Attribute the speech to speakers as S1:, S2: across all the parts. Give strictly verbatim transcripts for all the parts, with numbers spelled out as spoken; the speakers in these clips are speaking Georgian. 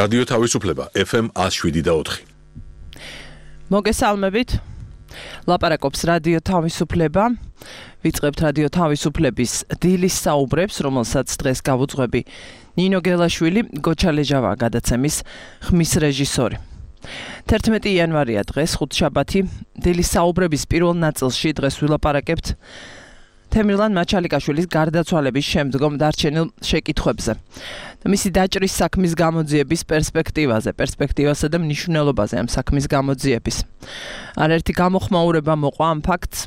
S1: რადიო თავისუფლება ეფ ემ one oh seven და four.
S2: მოგესალმებით. ლაპარაკობს რადიო თავისუფლება. ვიწყებთ რადიო თავისუფლების დილის საუბრებს, რომელსაც დღეს გავუძღვები ნინო გელაშვილი, გოჩა ლეჟავა გადაცემის ხმის რეჟისორი. თერთმეტი იანვარია დღეს, ხუთშაბათი. დილის საუბრების პირველ ნაწილში დღეს ვილაპარაკებთ თემირლან მაჩალიკაშვილის გარდაცვალების შემდგომ დარჩენილ შეკითხვებზე. მისი დაჭრის საქმის გამოძიების პერსპექტივაზე, პერსპექტივასა და მნიშვნელობაზე ამ საქმის გამოძიების. არაერთი გამოხმაურება მოყვა ამ ფაქტს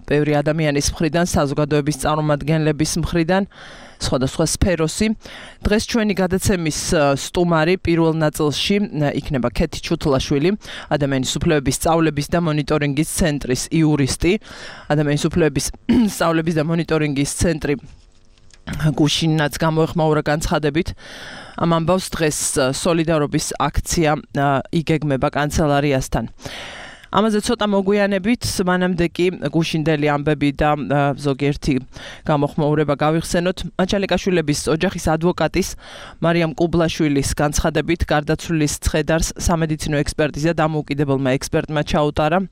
S2: ბევრი ადამიანის მხრიდან, საზოგადოების წარმომადგენლების მხრიდან, სხვადასხვა სფეროსი. დღეს ჩვენი გადაცემის სტუმარი პირველ ნაწილში იქნება ქეთი ჩუთლაშვილი, ადამიანის უფლებების სწავლების და მონიტორინგის ცენტრის იურისტი, ადამიანის უფლებების სწავლების და მონიტორინგის ცენტრი გუშინაც გამოეხმაურა განცხადებით. ამ ამბავს დღეს სოლიდარობის აქცია იგეგმება კანცელარიასთან. ამაზე ცოტა მოგვიანებით, მანამდე კი გუშინდელი ამბები და ზოგიერთი გამოხმაურება გავიხსენოთ. მაჩალიკაშვილების ოჯახის ადვოკატის მარიამ კუბლაშვილის განცხადებით, გარდაცვლილის ცხედარს სამედიცინო ექსპერტიზა დამოუკიდებელმა ექსპერტმა ჩაუტარა.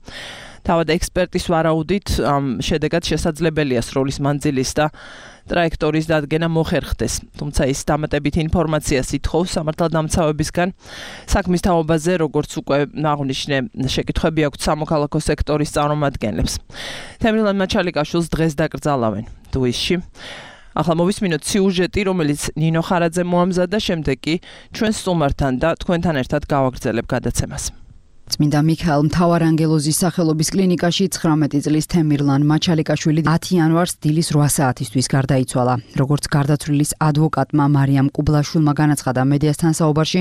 S2: თავად ექსპერტის ვარაუდით, ამ შედეგად შესაძლებელია სროლის მანძილის და ტრაექტორის დადგენა მოხერხდეს. თუმცა ის დამატებით ინფორმაციას ითხოვს სამართალდამცავებისგან. საქმის თაობაზე, როგორც უკვე აღნიშნე, შეკითხვები აქვთ სამოქალაქო სექტორის წარმომადგენლებს. თემირლან მაჩალიკაშვილს დღეს დაკრძალავენ დუისში. ახლა მოვისმინოთ სიუჟეტი, რომელიც ნინო ხარაძე მოამზადა, შემდეგ კი ჩვენ სტუმართან და თქვენთან ერთად გავაგრძელებ გადაცემას.
S3: წმინდა მიქაელ მთავარანგელოზის სახელობის კლინიკაში ცხრამეტი წლის თემირლან მაჩალიკაშვილი ათი იანვარს დილის რვა საათისთვის გარდაიცვალა. როგორც გარდაცვლილის ადვოკატმა მარიამ კუბლაშვილმა განაცხადა მედიასთან საუბარში,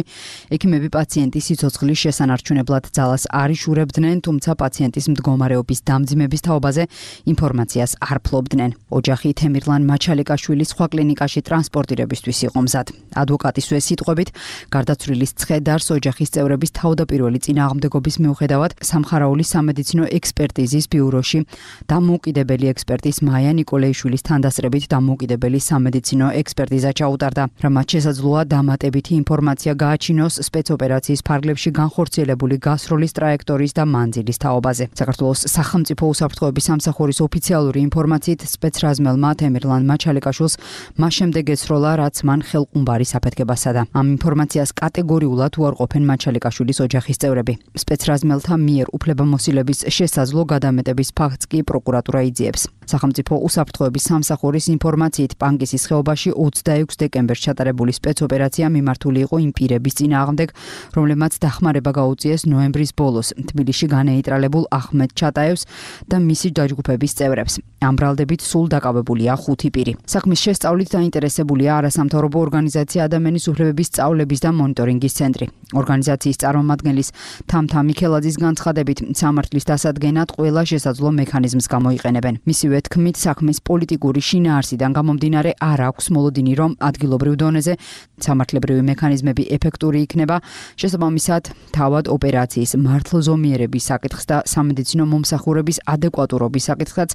S3: ექიმები პაციენტის სიცოცხლის შესანარჩუნებლად ძალას არ იშურებდნენ, თუმცა პაციენტის მდგომარეობის დამძიმების თაობაზე ინფორმაციას არ ფლობდნენ. ოჯახი თემირლან მაჩალიკაშვილის სხვა კლინიკაში ტრანსპორტირებისთვის იყო მზად. ადვოკატისვე სიტყვებით, გარდაცვლილის ცხედარს ოჯახის წევრების თავდაპირველი წინააღმდეგობა მიუხედავად სამხარაულის სამედიცინო ექსპერტიზის ბიუროში დამოუკიდებელი ექსპერტის მაია ნიკოლეიშვილის თანდასწრებით დამოუკიდებელი სამედიცინო ექსპერტიზა ჩაუტარდა, რამაც შესაძლოა დამატებითი ინფორმაცია გააჩინოს სპეცოპერაციის ფარგლებში განხორციელებული გასროლის ტრაექტორის და მანძილის თაობაზე. საქართველოს სახელმწიფო უსაფრთხოების სამსახურის ოფიციალური ინფორმაციით, სპეცრაზმელმა თემირლან მაჩალიკაშვილს მას შემდეგ ეცროლა, რაც მან ხელყუმბარის აფეთქებასა და ამ ინფორმაციას კატეგორიულად უარყოფენ მაჩალიკაშვილის ოჯახის წევრები. სპეცრაზმელთა მიერ უფლებამოსილების შესაძლო გადამეტების ფაქტს კი პროკურატურა იძიებს. სახელმწიფო უსაფრთხოების სამსახურის ინფორმაციით, პანკისის ხეობაში ოცდაექვსი დეკემბერს ჩატარებული სპეცოპერაცია მიმართული იყო იმ პირების წინააღმდეგ, რომლებმაც დახმარება გაუწიეს ნოემბრის ბოლოს თბილისში განეიტრალებულ ახმედ ჩატაევს და მისი დაჯგუფების წევრებს. ამ ბრალდებით სულ დაკავებულია ხუთი პირი. საქმის შესწავლით დაინტერესებულია არასამთავრობო ორგანიზაცია ადამიანის უფლებების სწავლების და მონიტორინგის ცენტრი. ორგანიზაციის წარმომადგენლის თამთა მიქელაძის განცხადებით, სამართლის დასადგენად ყველა შესაძლო მექანიზმს გამოიყენებენ. მისივე თქმით, საქმის პოლიტიკური შინაარსიდან გამომდინარე არ აქვს მოლოდინი, რომ ადგილობრივ დონეზე სამართლებრივი მექანიზმები ეფექტური იქნება, შესაბამისად, თავად ოპერაციის მართლზომიერების საკითხს და სამედიცინო მომსახურების ადეკვატურობის საკითხსაც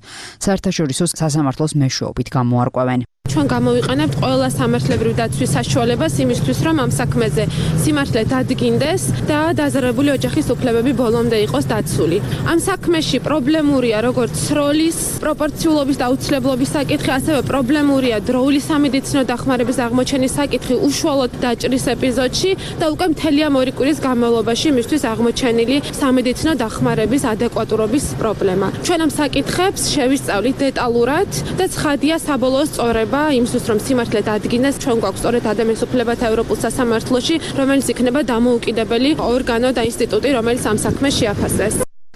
S3: საერთაშორისო სასამართლოს მეშვეობით გამოარკვევენ.
S4: ჩვენ გამოვიყენებთ ყველა სამართლებრივ დაცვის საშუალებას იმისთვის, რომ ამ საქმეზე სიმართლე დადგინდეს და დაზარალებული ოჯახის უფლებები ბოლომდე იყოს დაცული. ამ საქმეში პრობლემურია როგორც სროლის პროპორციულობის და აუცილებლობის საკითხი, ასევე პრობლემურია დროული სამედიცინო დახმარების აღმოჩენის საკითხი უშუალოდ დაჭრის ეპიზოდში და უკვე მთელი ამ ორი კვირის განმავლობაში იმისთვის აღმოჩენილი სამედიცინო დახმარების ადეკვატურობის პრობლემა. ჩვენ ამ საკითხებს შევისწავლით დეტალურად და ცხადია საბოლოო სწორება იმისთვის, რომ სიმართლე დადგინდეს, ჩვენ გვაქვს სწორედ ადამიანის უფლებათა ევროპულ სასამართლოში, რომელიც იქნება დამოუკიდებელი ორგანო და ინსტიტუტი, რომელიც ამ საქმეს შეაფასდეს.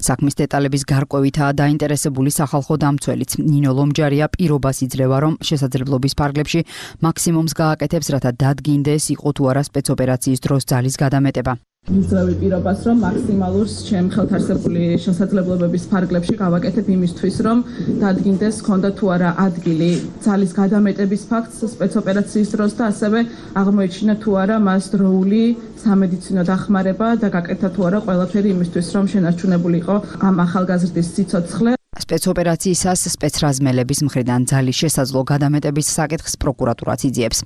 S3: საქმის დეტალების გარკვევითაა დაინტერესებული სახალხო დამცველიც. ნინო ლომჯარია პირობას იძლევა, რომ შესაძლებლობის ფარგლებში მაქსიმუმს გააკეთებს, რათა დადგინდეს, იყო თუ არა სპეცოპერაციის დროს ძალის გადამეტება.
S5: იძლევი პირობას, რომ მაქსიმალურ ჩემ ხელთ არსებული შესაძლებლობების ფარგლებში გავაკეთებ იმისთვის, რომ დადგინდეს ქონდა თუ არა ადგილი ძალის გადამეტების ფაქტს სპეცოპერაციის დროს და ასევე აღმოეჩინა თუ არა მას დროული სამედიცინო დახმარება და გაკეთა თუ არა ყველაფერი იმისთვის, რომ შენარჩუნებულიყო ამ ახალგაზრდის სიცოცხლე.
S3: სპეცოპერაციისას სპეცრაზმელების მხრიდან ძალის შესაძლო გადამეტების საკითხს პროკურატურაც იძიებს.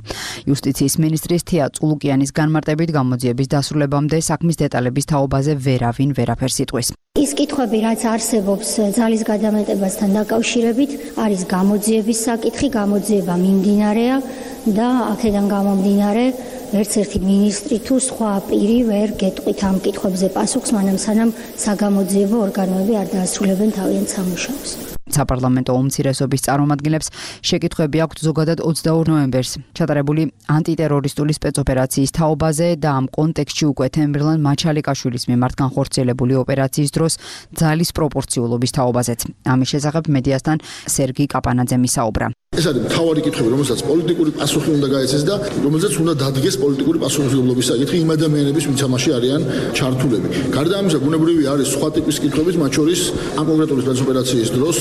S3: იუსტიციის მინისტრის თია წულუკიანის განმარტებით გამოძიების დასრულებამდე საქმის დეტალების თაობაზე ვერავინ ვერაფერს იტყვის.
S6: ის კითხვები, რაც არსებობს ძალის გადამეტებასთან დაკავშირებით, არის გამოძიების საკითხი, გამოძიება მიმდინარეა და აქედან გამომდინარე ერთ-ერთი მინისტრი თუ სხვა პირი ვერ გეტყვით ამ კითხვებზე პასუხს, მანამ სანამ საგამოძიებო ორგანოები არ დაასრულებენ თავიანთ სამუშაოს.
S3: საპარლამენტო უმცირესობის წარმომადგენლებს შეკითხვები აქვთ ზოგადად ოცდაორ ნოემბერს ჩატარებული ანტიტერორისტული სპეცოპერაციის თაობაზე და ამ კონტექსტში უკვე თემირლან მაჩალიკაშვილის მიმართ განხორციელებული ოპერაციის დროს ძალის პროპორციულობის თაობაზეც. ამის შესახებ მედიასთან სერგი კაპანაძემ ისაუბრა.
S7: ეს არის მთავარი კითხვები, რომელსაც პოლიტიკური პასუხი უნდა გაეცეს და რომელსაც უნდა დადგეს პოლიტიკური პასუხისმგებლობის საკითხი იმ ადამიანების, ვინც ამაში არიან ჩართულები. გარდა ამისა, ბუნებრივი არის სხვა ტიპის კითხვებიც, მათ შორის ამ კონკრეტული სპეცოპერაციის დროს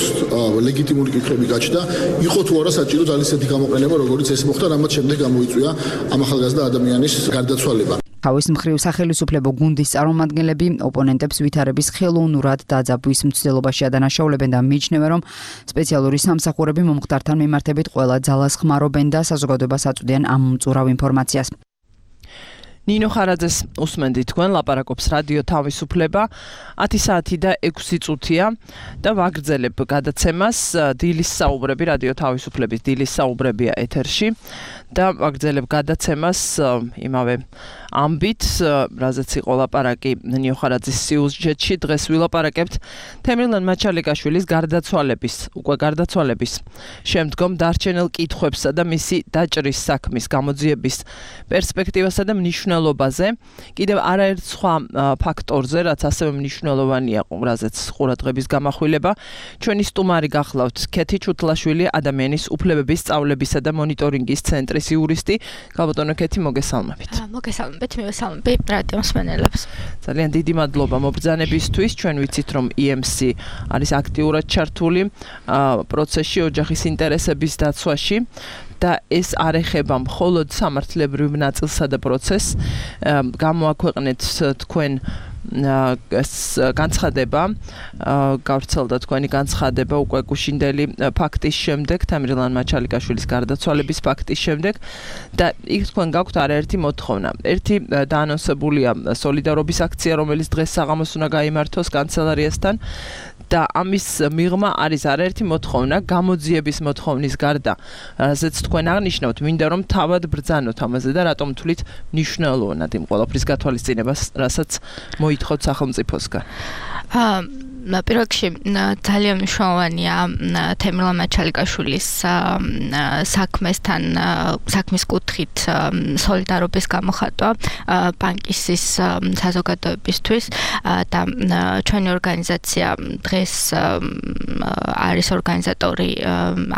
S7: ლეგიტიმური კითხვები გაჩნდა, იყო თუ არა საჭირო ძალის ისეთი გამოყენება, როგორც ეს მოხდა, რამაც შემდეგ გამოიწვია ამ ახალგაზრდა ადამიანის გარდაცვალება. თავის მხრივ სახელმწიფო გუნდის წარმომადგენლები ოპონენტებს ვითარების ხელოვნურად დაძაბვის მცდელობაში ადანაშაულებენ და მიიჩნევენ, რომ სპეციალური სამსახურები მომხდართან მიმართებით ყველა ძალას ხმარობენ და საზოგადოებას აწვდიან ამ მწურავ ინფორმაციას.
S2: ნინო ხარაძეს უსმენთ თქვენ, ლაპარაკობს რადიო თავისუფლება, ათი საათი და ექვსი წუთია და ვაგრძელებ გადაცემას. დილის საუბრები, რადიო თავისუფლების დილის საუბრებია ეთერში და ვაგრძელებ გადაცემას იმავე ამბით, რაზეც იყო ლაპარაკი ნინო ხარაძის სიუჟეტში. დღეს ვილაპარაკებთ თემირლან მაჩალიკაშვილის გარდაცვალების, უკვე გარდაცვალების შემდგომ დარჩენილ კითხვებსა და მისი დაჭრის საქმის გამოძიების პერსპექტივასა და მნიშვნელობაზე. კიდევ არაერთ სხვა ფაქტორზე, რაც ასევე მნიშვნელოვანია, რაზეც ყურადღების გამახვილება. ჩვენი სტუმარი გახლავთ ქეთი ჩუთლაშვილი, ადამიანის უფლებების სწავლებისა და მონიტორინგის ცენტრის იურისტი. გალბატონო ქეთი, მოგესალმებით.
S8: მოგესალმებით, მივესალმები რადიო მსმენელებს.
S2: ძალიან დიდი მადლობა მობრძანებისთვის. ჩვენ ვიცით, რომ ი ემ სი არის აქტიურად ჩართული პროცესში ოჯახის ინტერესების დაცვაში. და ეს არ ეხება მხოლოდ სამართლებრივ ნაწილსა და პროცესს. გამოაქვეყნეთ თქვენ განცხადება, გავრცელდა თქვენი განცხადება უკვე გუშინდელი ფაქტის შემდეგ, თემირლან მაჩალიკაშვილის გარდაცვალების ფაქტის შემდეგ და იქ თქვენ გაქვთ არაერთი მოთხოვნა. ერთი დაანონსებულია სოლიდარობის აქცია, რომელიც დღეს საღამოს უნდა გაიმართოს კანცელარიასთან. და ამის მიღმა არის არაერთი მოთხოვნა, გამოძიების მოთხოვნის გარდა, რასაც თქვენ აღნიშნავთ, მინდა რომ თავად ბრძანოთ ამაზე და რატომ თვლით მნიშვნელოვნად იმ ყველაფრის გათვალისწინებას, რასაც მოითხოვთ სახელმწიფოსგან.
S8: პირველ რიგში ძალიან მნიშვნელოვანია თემირლან მაჩალიკაშვილის საქმესთან საქმის კუთხით სოლიდარობის გამოხატვა პანკისის საზოგადოებისთვის და ჩვენი ორგანიზაცია დღეს არის ორგანიზატორი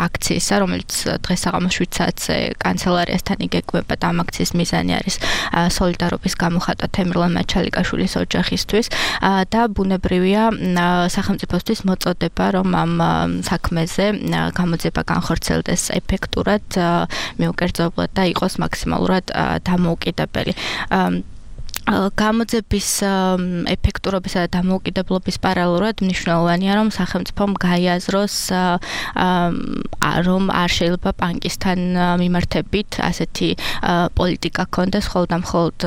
S8: აქციისა, რომელიც დღეს საღამოს შვიდ საათზე კანცელარიასთან იგეგმება და ამ აქციის მიზანი არის სოლიდარობის გამოხატვა თემირლან მაჩალიკაშვილის ოჯახისთვის და ბუნებრივია სახელმწიფოსთვის მოწოდება, რომ ამ საქმეზე გამოძიება განხორციელდეს ეფექტურად, მიუკერძებლად და იყოს მაქსიმალურად დამოუკიდებელი. გამოძიების ეფექტურობისა და დამოუკიდებლობის პარალელურად მნიშვნელოვანია, რომ სახელმწიფომ გაიაზროს, რომ არ შეიძლება პანკისთან მიმართებით ასეთი პოლიტიკა ქონდეს, მხოლოდ და მხოლოდ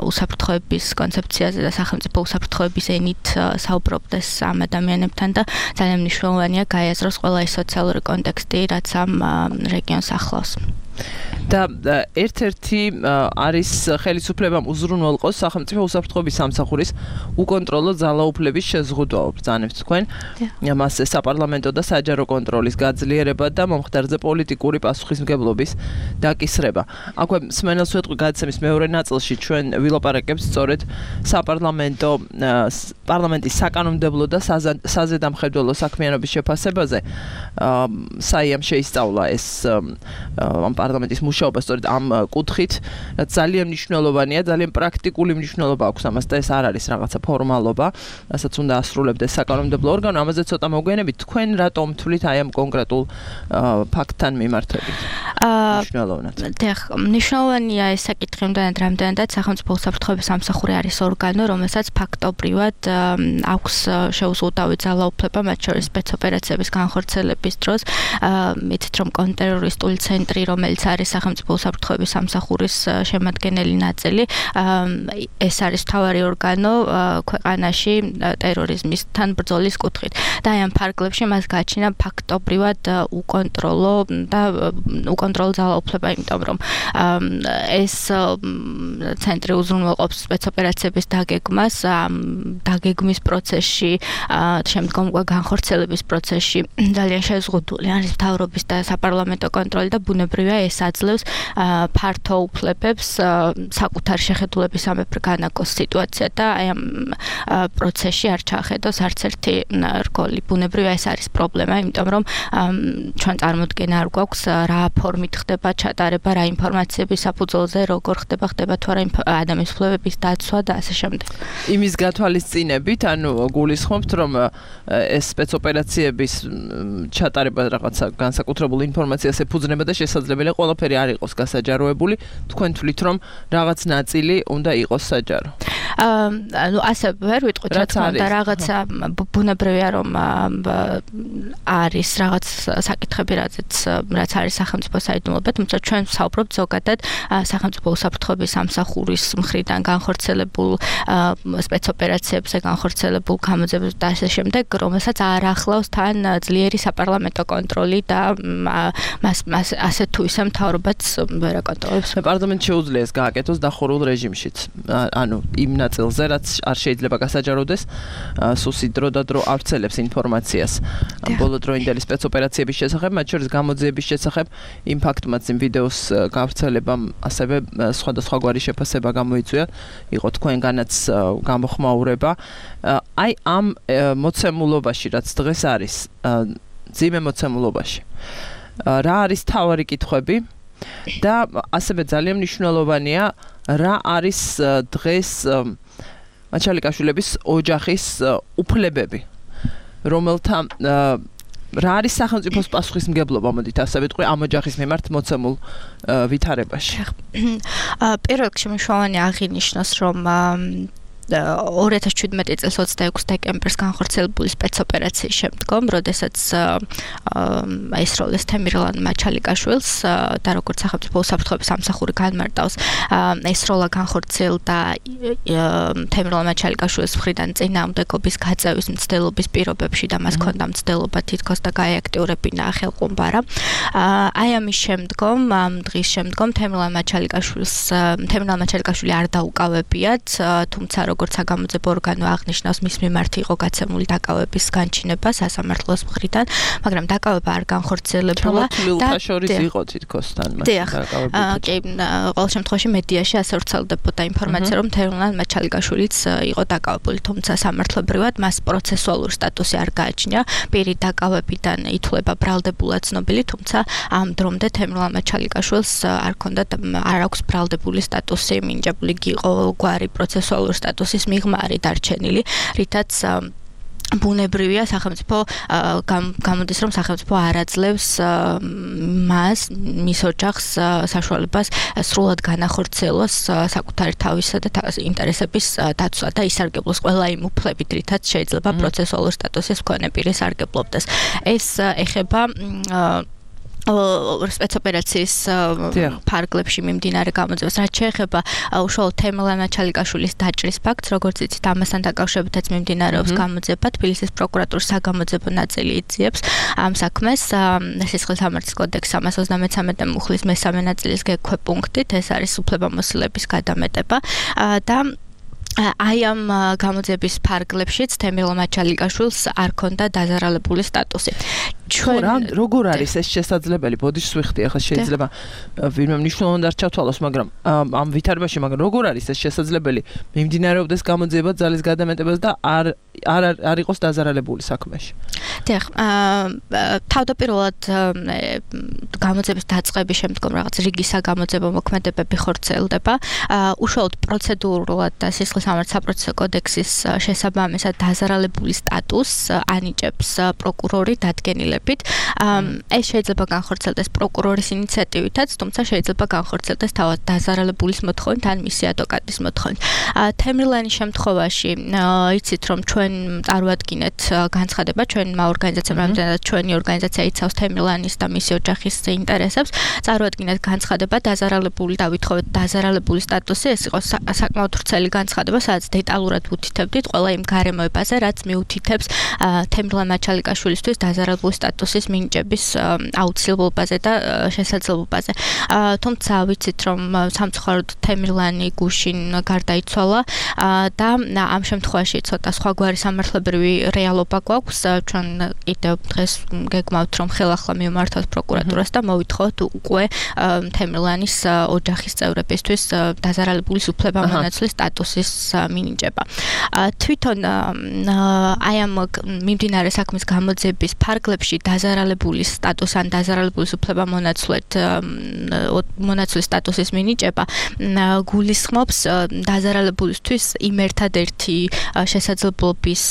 S8: უსაფრთხოების კონცეფციაზე და სახელმწიფო უსაფრთხოების ენით საუბრობდეს ამ ადამიანებთან და ძალიან მნიშვნელოვანია გაიაზროს ყველა ის სოციალური კონტექსტი, რაც ამ რეგიონს ახლავს.
S2: და ერთ-ერთი არის ხელისუფლებამ უზრუნველყოს სახელმწიფო უსაფრთხოების სამსახურის უკონტროლო ძალაუფლების შეზღუდვა, ბრძანებთ თქვენ. მასზე საპარლამენტო და საჯარო კონტროლის გაძლიერება და მომხდარზე პოლიტიკური პასუხისმგებლობის დაკისრება. აქვე მსმენელს ვეთყვი გადაცემის მეორე ნაწილში ჩვენ ვილაპარაკებთ სწორედ საპარლამენტო პარლამენტის საკანონმდებლო და საზედამხედველო საქმიანობის შეფასებაზე. საიამ შეისწავლა ეს ამ პარლამენტის მუშაობა სწორედ ამ კუთხით, რაც ძალიან მნიშვნელოვანია, ძალიან პრაქტიკული მნიშვნელობა აქვს ამას და ეს არ არის რაღაცა ფორმალობა, რასაც უნდა ასრულებდეს საკანონმდებლო ორგანო. ამაზე ცოტა მოგვიანებით, თქვენ რატომ თვლით აი ამ კონკრეტულ ფაქტთან მიმართებით? მნიშვნელოვნად.
S8: დიახ, მნიშვნელოვანია ეს საკითხი იმდანაც, რამდენადაც სახელმწიფო უსაფრთხოების სამსახური არის ორგანო, რომელსაც ფაქტობრივად აქვს შეუზღუდავი ძალაუფლება, მათ შორის სპეცოპერაციების განხორციელების დროს. მითით რომ კონტრტერორისტული ცენტრი, რომელიც არის სახელმწიფო უსაფრთხოების სამსახურის შემადგენელი ნაწილი, ეს არის მთავარი ორგანო ქვეყანაში ტერორიზმისთან ბრძოლის კუთხით. და აი ამ ფარგლებში მას გააჩნია ფაქტობრივად უკონტროლო და უკონტროლო ძალაუფლება, იმიტომ რომ ეს ცენტრი უზრუნველყოფს სპეცოპერაციების დაგეგმას, დაგეგმის პროცესში, შემდგომ განხორციელების პროცესში ძალიან შეზღუდული არის მთავრობის და საპარლამენტო კონტროლი და ბუნებრივია ეს აძლევს ფართო უფლებებს საკუთარი შეხედულების სამეფრო განაგოს სიტუაცია და აი ამ პროცესში არ ჩაახედოს არც ერთი რგოლი. ბუნებრივია ეს არის პრობლემა, იმიტომ რომ ჩვენ წარმოდგენა არ გვაქვს რა ფორმით ხდება ჩატარება, რა ინფორმაციების საფუძველზე როგორ ხდება, ხდება თუ არა ადამიანის უფლებების დაცვა და ასე შემდეგ.
S2: იმის გათვალისწინებით, ანუ გულისხმობთ, რომ ეს სპეცოპერაციების ჩატარება რაღაცა განსაკუთრებულ ინფორმაციას ეფუძნება და შესაძლებელია ყველაფერი არ იყოს გასაჯაროებული, თქვენ თვლით, რომ რაღაც ნაწილი უნდა იყოს საჯარო.
S8: ანუ ასე ვერ ვიტყვით, რა თქმა უნდა, რაღაცა ბუნებრივია რომ არის რაღაც საკითხები, რაც რაც არის სახელმწიფო საიდუმლოება, თუმცა ჩვენ ვსაუბრობთ ზოგადად სახელმწიფო უსაფრთხოების სამსახურის მხრიდან განხორციელებულ სპეცოპერაციებზე განხორციელებულ გამოძიებებს და ასე შემდეგ, რომელსაც არ ახლავს თან ძლიერი საპარლამენტო კონტროლი და მას მას ასე თუ ისე მთავრობაც ვერ აკონტროლებს.
S2: პარლამენტს შეუძლია ეს გააკეთოს დახურულ რეჟიმშიც. ანუ იმ ნაწილზე, რაც არ შეიძლება გასაჯაროდეს, სუსი დრო და დრო ავრცელებს ინფორმაციას ბოლოდროინდელი სპეცოპერაციების შესახებ, მათ შორის გამოძიების შესახებ, იმ ფაქტმაც იმ ვიდეოს გავრცელებამ ასევე სხვადასხვაგვარი შეფასება გამოიწვია, იყო თქვენგანაც გამოხმაურება. აი ამ მოცემულობაში, რაც დღეს არის, ძიმე მოცემულობაში, რა არის თავარი კითხვები და ასევე ძალიან მნიშვნელოვანია, რა არის დღეს მაჩალიკაშვილების ოჯახის უფლებები, რომელთა რა არის სახელმწიფოს პასუხისმგებლობა, მოდით ასე ვიტყვი, ამ ოჯახის მიმართ მოცემულ ვითარებაში.
S8: პირველ რიგში მნიშვნელოვანია აღინიშნოს, რომ ორი ათას შვიდმეტი წლის ოცდაექვსი დეკემბერს განხორციელებული სპეცოპერაციის შემდგომ, როდესაც აისროლეს თემირლან მაჩალიკაშვილს და როგორც სახელმწიფო უსაფრთხოების სამსახური განმარტავს, აისროლა განხორციელდა თემირლან მაჩალიკაშვილის მხრიდან წინააღმდეგობის გაწევის მცდელობის პირობებში და მას ჰქონდა მცდელობა თითქოს და გაეაქტიურებინა ხელყუმბარა. აი ამის შემდგომ, ამ დღის შემდგომ თემირლან მაჩალიკაშვილს თემირლან მაჩალიკაშვილი არ დაუკავებიათ, თუმცა როგორც საგამოძიებო ორგანო აღნიშნავს, მის მიმართ იყო გაცემული დაკავების განჩინება სასამართლოს მხრიდან, მაგრამ დაკავება არ განხორციელებულა
S2: და შორის იყო თითქოს თან მას
S8: დაკავებული. კი, ყოველ შემთხვევაში მედიაში ასე ვრცელდებოდა ინფორმაცია, რომ თემირლან მაჩალიკაშვილიც იყო დაკავებული, თუმცა სამართლებრივად მას პროცესუალური სტატუსი არ გააჩნია. პირი დაკავებიდან ითვლება ბრალდებულად ცნობილი, თუმცა ამ დრომდე თემირლან მაჩალიკაშვილს არ ჰქონდა არ აქვს ბრალდებული სტატუსი, მინიჭებული იყო გვარი პროცესუალური სტატუსის მიღმა არის დარჩენილი, რითაც ბუნებრივია სახელმწიფო გამოდის, რომ სახელმწიფო არ აძლევს მას, მის ოჯახს საშუალებას სრულად განახორციელოს საკუთარი თავისა და ინტერესების დაცვა და ისარგებლოს ყველა იმ უფლებით, რითაც შეიძლება პროცესუალური სტატუსის მქონე პირი სარგებლობდეს. ეს ეხება სპეცოპერაციის ფარგლებში მიმდინარე გამოძიებას, რაც შეეხება უშუალოდ თემირლან მაჩალიკაშვილის დაჭრის ფაქტს, როგორც იცით, ამასთან დაკავშირებითაც მიმდინარეობს გამოძიება. თბილისის პროკურატურის საგამოძიებო ნაწილი იძიებს ამ საქმეს სისხლის სამართლის კოდექსის სამას ოცდამეცამეტე მუხლის მესამე ნაწილის გეგქვე პუნქტით, ეს არის უფლებამოსილების გადამეტება და აი ამ გამოძიების ფარგლებშიც თემირლან მაჩალიკაშვილს არ ჰქონდა დაზარალებული სტატუსი.
S2: ჩვენ როგორ არის ეს შესაძლებელი? ბოდიშს ვიხდი, ახლა შეიძლება ვინმე მნიშვნელოვნად არ ჩავთვალოს, მაგრამ ამ ვითარებაში, მაგრამ როგორ არის ეს შესაძლებელი? მიმდინარეობდეს გამოძიება ძალის გადამეტებას და არ არ არ იყოს დაზარალებული საქმეში.
S8: დიახ, თავდაპირველად გამოძიების დაწყების შემდგომ რაღაც რიგი საგამოძიებო მოქმედებები ხორციელდება. უშუალოდ პროცედურულად და სისხლის-სამართლის საპროცესო კოდექსის შესაბამისად დაზარალებული სტატუსს ანიჭებს პროკურორი დადგენილებით. ეს შეიძლება განხორციელდეს პროკურორის ინიციატივითაც, თუმცა შეიძლება განხორციელდეს თავად დაზარალებულის მოთხოვნით ან მისი ადვოკატის მოთხოვნით. თემრლანის შემთხვევაში იცით რომ ჩვენ წარვადგინეთ განცხადება ჩვენმა ორგანიზაციამ, რამდენადაც ჩვენი ორგანიზაცია იცავს თემრლანის და მისი ოჯახის ინტერესებს, წარვადგინეთ განცხადება დაზარალებული და ვითხოვეთ დაზარალებული სტატუსი, ეს იყო საკმაოდ ვრცელი განცხადება, სადაც დეტალურად ვუთითებდით ყველა იმ გარემოებაზე, რაც მიუთითებს თემრლან მაჩალიკაშვილისთვის დაზარალებული სტატუსის მინიჭების აუცილებლობაზე და შესაძლებლობაზე. თუმცა ვიცით რომ სამწუხაროდ თემრლანი გუშინ გარდაიცვალა და ამ შემთხვევაში ცოტა სხვაგვარი სამართლებრივი რეალობა გვაქვს. ჩვენ კიდევ დღეს გეგმავთ რომ ხელახლა მივმართოთ პროკურატურას და მოვითხოვოთ უკვე თემრლანის ოჯახის წევრებისთვის დაზარალებულის უფლებამონაცვლის სტატუსის მინიჭება. თვითონ აი ამ მიმდინარე საქმის გამოძიების ფარგლებში დაზარალებულის სტატუს ან დაზარალებულის უფლებამონაცვლად მონაცვლის სტატუსის მინიჭება გულისხმობს დაზარალებულისთვის იმ ერთადერთი შესაძლებლობის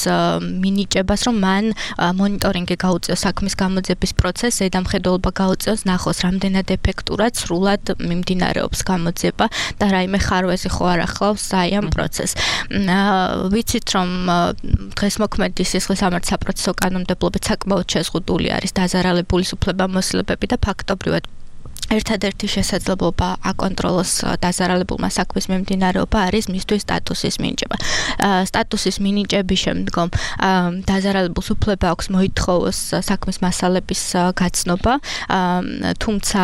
S8: მინიჭებას, რომ მან მონიტორინგი გაუწიოს საქმის გამოძიების პროცესს, ზედამხედველობა გაუწიოს, ნახოს რამდენად ეფექტურად სრულად მიმდინარეობს გამოძიება და რაიმე ხარვეზი ხო არ ახლავს აი ამ პროცესს. ვიცით რომ დღეს მოქმედი სისხლის-სამართლის საპროცესო კანონმდებლობით საკმაოდ შეზღუდული არის დაზარალებულის უფლებამოსილებები და ფაქტობრივად ერთადერთი შესაძლებლობა აკონტროლოს დაზარალებულმა საქმის მიმდინარეობა არის მისთვის სტატუსის მინიჭება. სტატუსის მინიჭების შემდგომ დაზარალებულს უფლება აქვს მოითხოვოს საქმის მასალების გაცნობა, თუმცა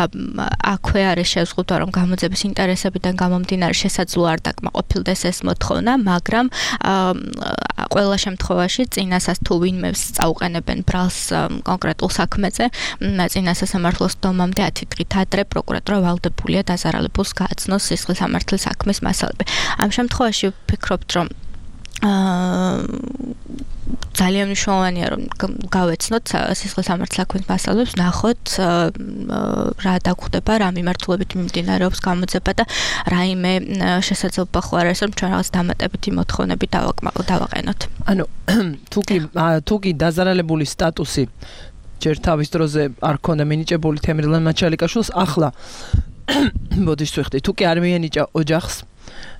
S8: აქვე არის შეზღუდვა რომ გამოძიების ინტერესებიდან გამომდინარე შესაძლოა არ დაკმაყოფილდეს ეს მოთხოვნა, მაგრამ ყველა შემთხვევაში წინასას თუ ვინმე წაუყენებენ ბრალს კონკრეტულ საქმეზე, წინასასამართლოს დომამდე ათი დღით ადრე პროკურატურა ვალდებულია დაზარალებულს გააცნოს სისხლის-სამართლის საქმის მასალები. ამ შემთხვევაში ვფიქრობთ რომ ძალიან მნიშვნელოვანია რომ გავეცნოთ სისხლის-სამართლის საქმის მასალებს, ნახოთ რა დაგხვდება, რა მიმართულებით მიმდინარეობს გამოძიება და რაიმე შესაძლებლობა ხო არ არის რომ ჩვენ რაღაც დამატებითი მოთხოვნები დავაყენოთ.
S2: ანუ თუკი თუკი დაზარალებული სტატუსი ჯერ თავის დროზე არ ქონდა მინიჭებული თემრლან მაჩალიკაშვილს, ახლა ბოდიშს ვიხდი, თუკი არ მიენიჭა ოჯახს,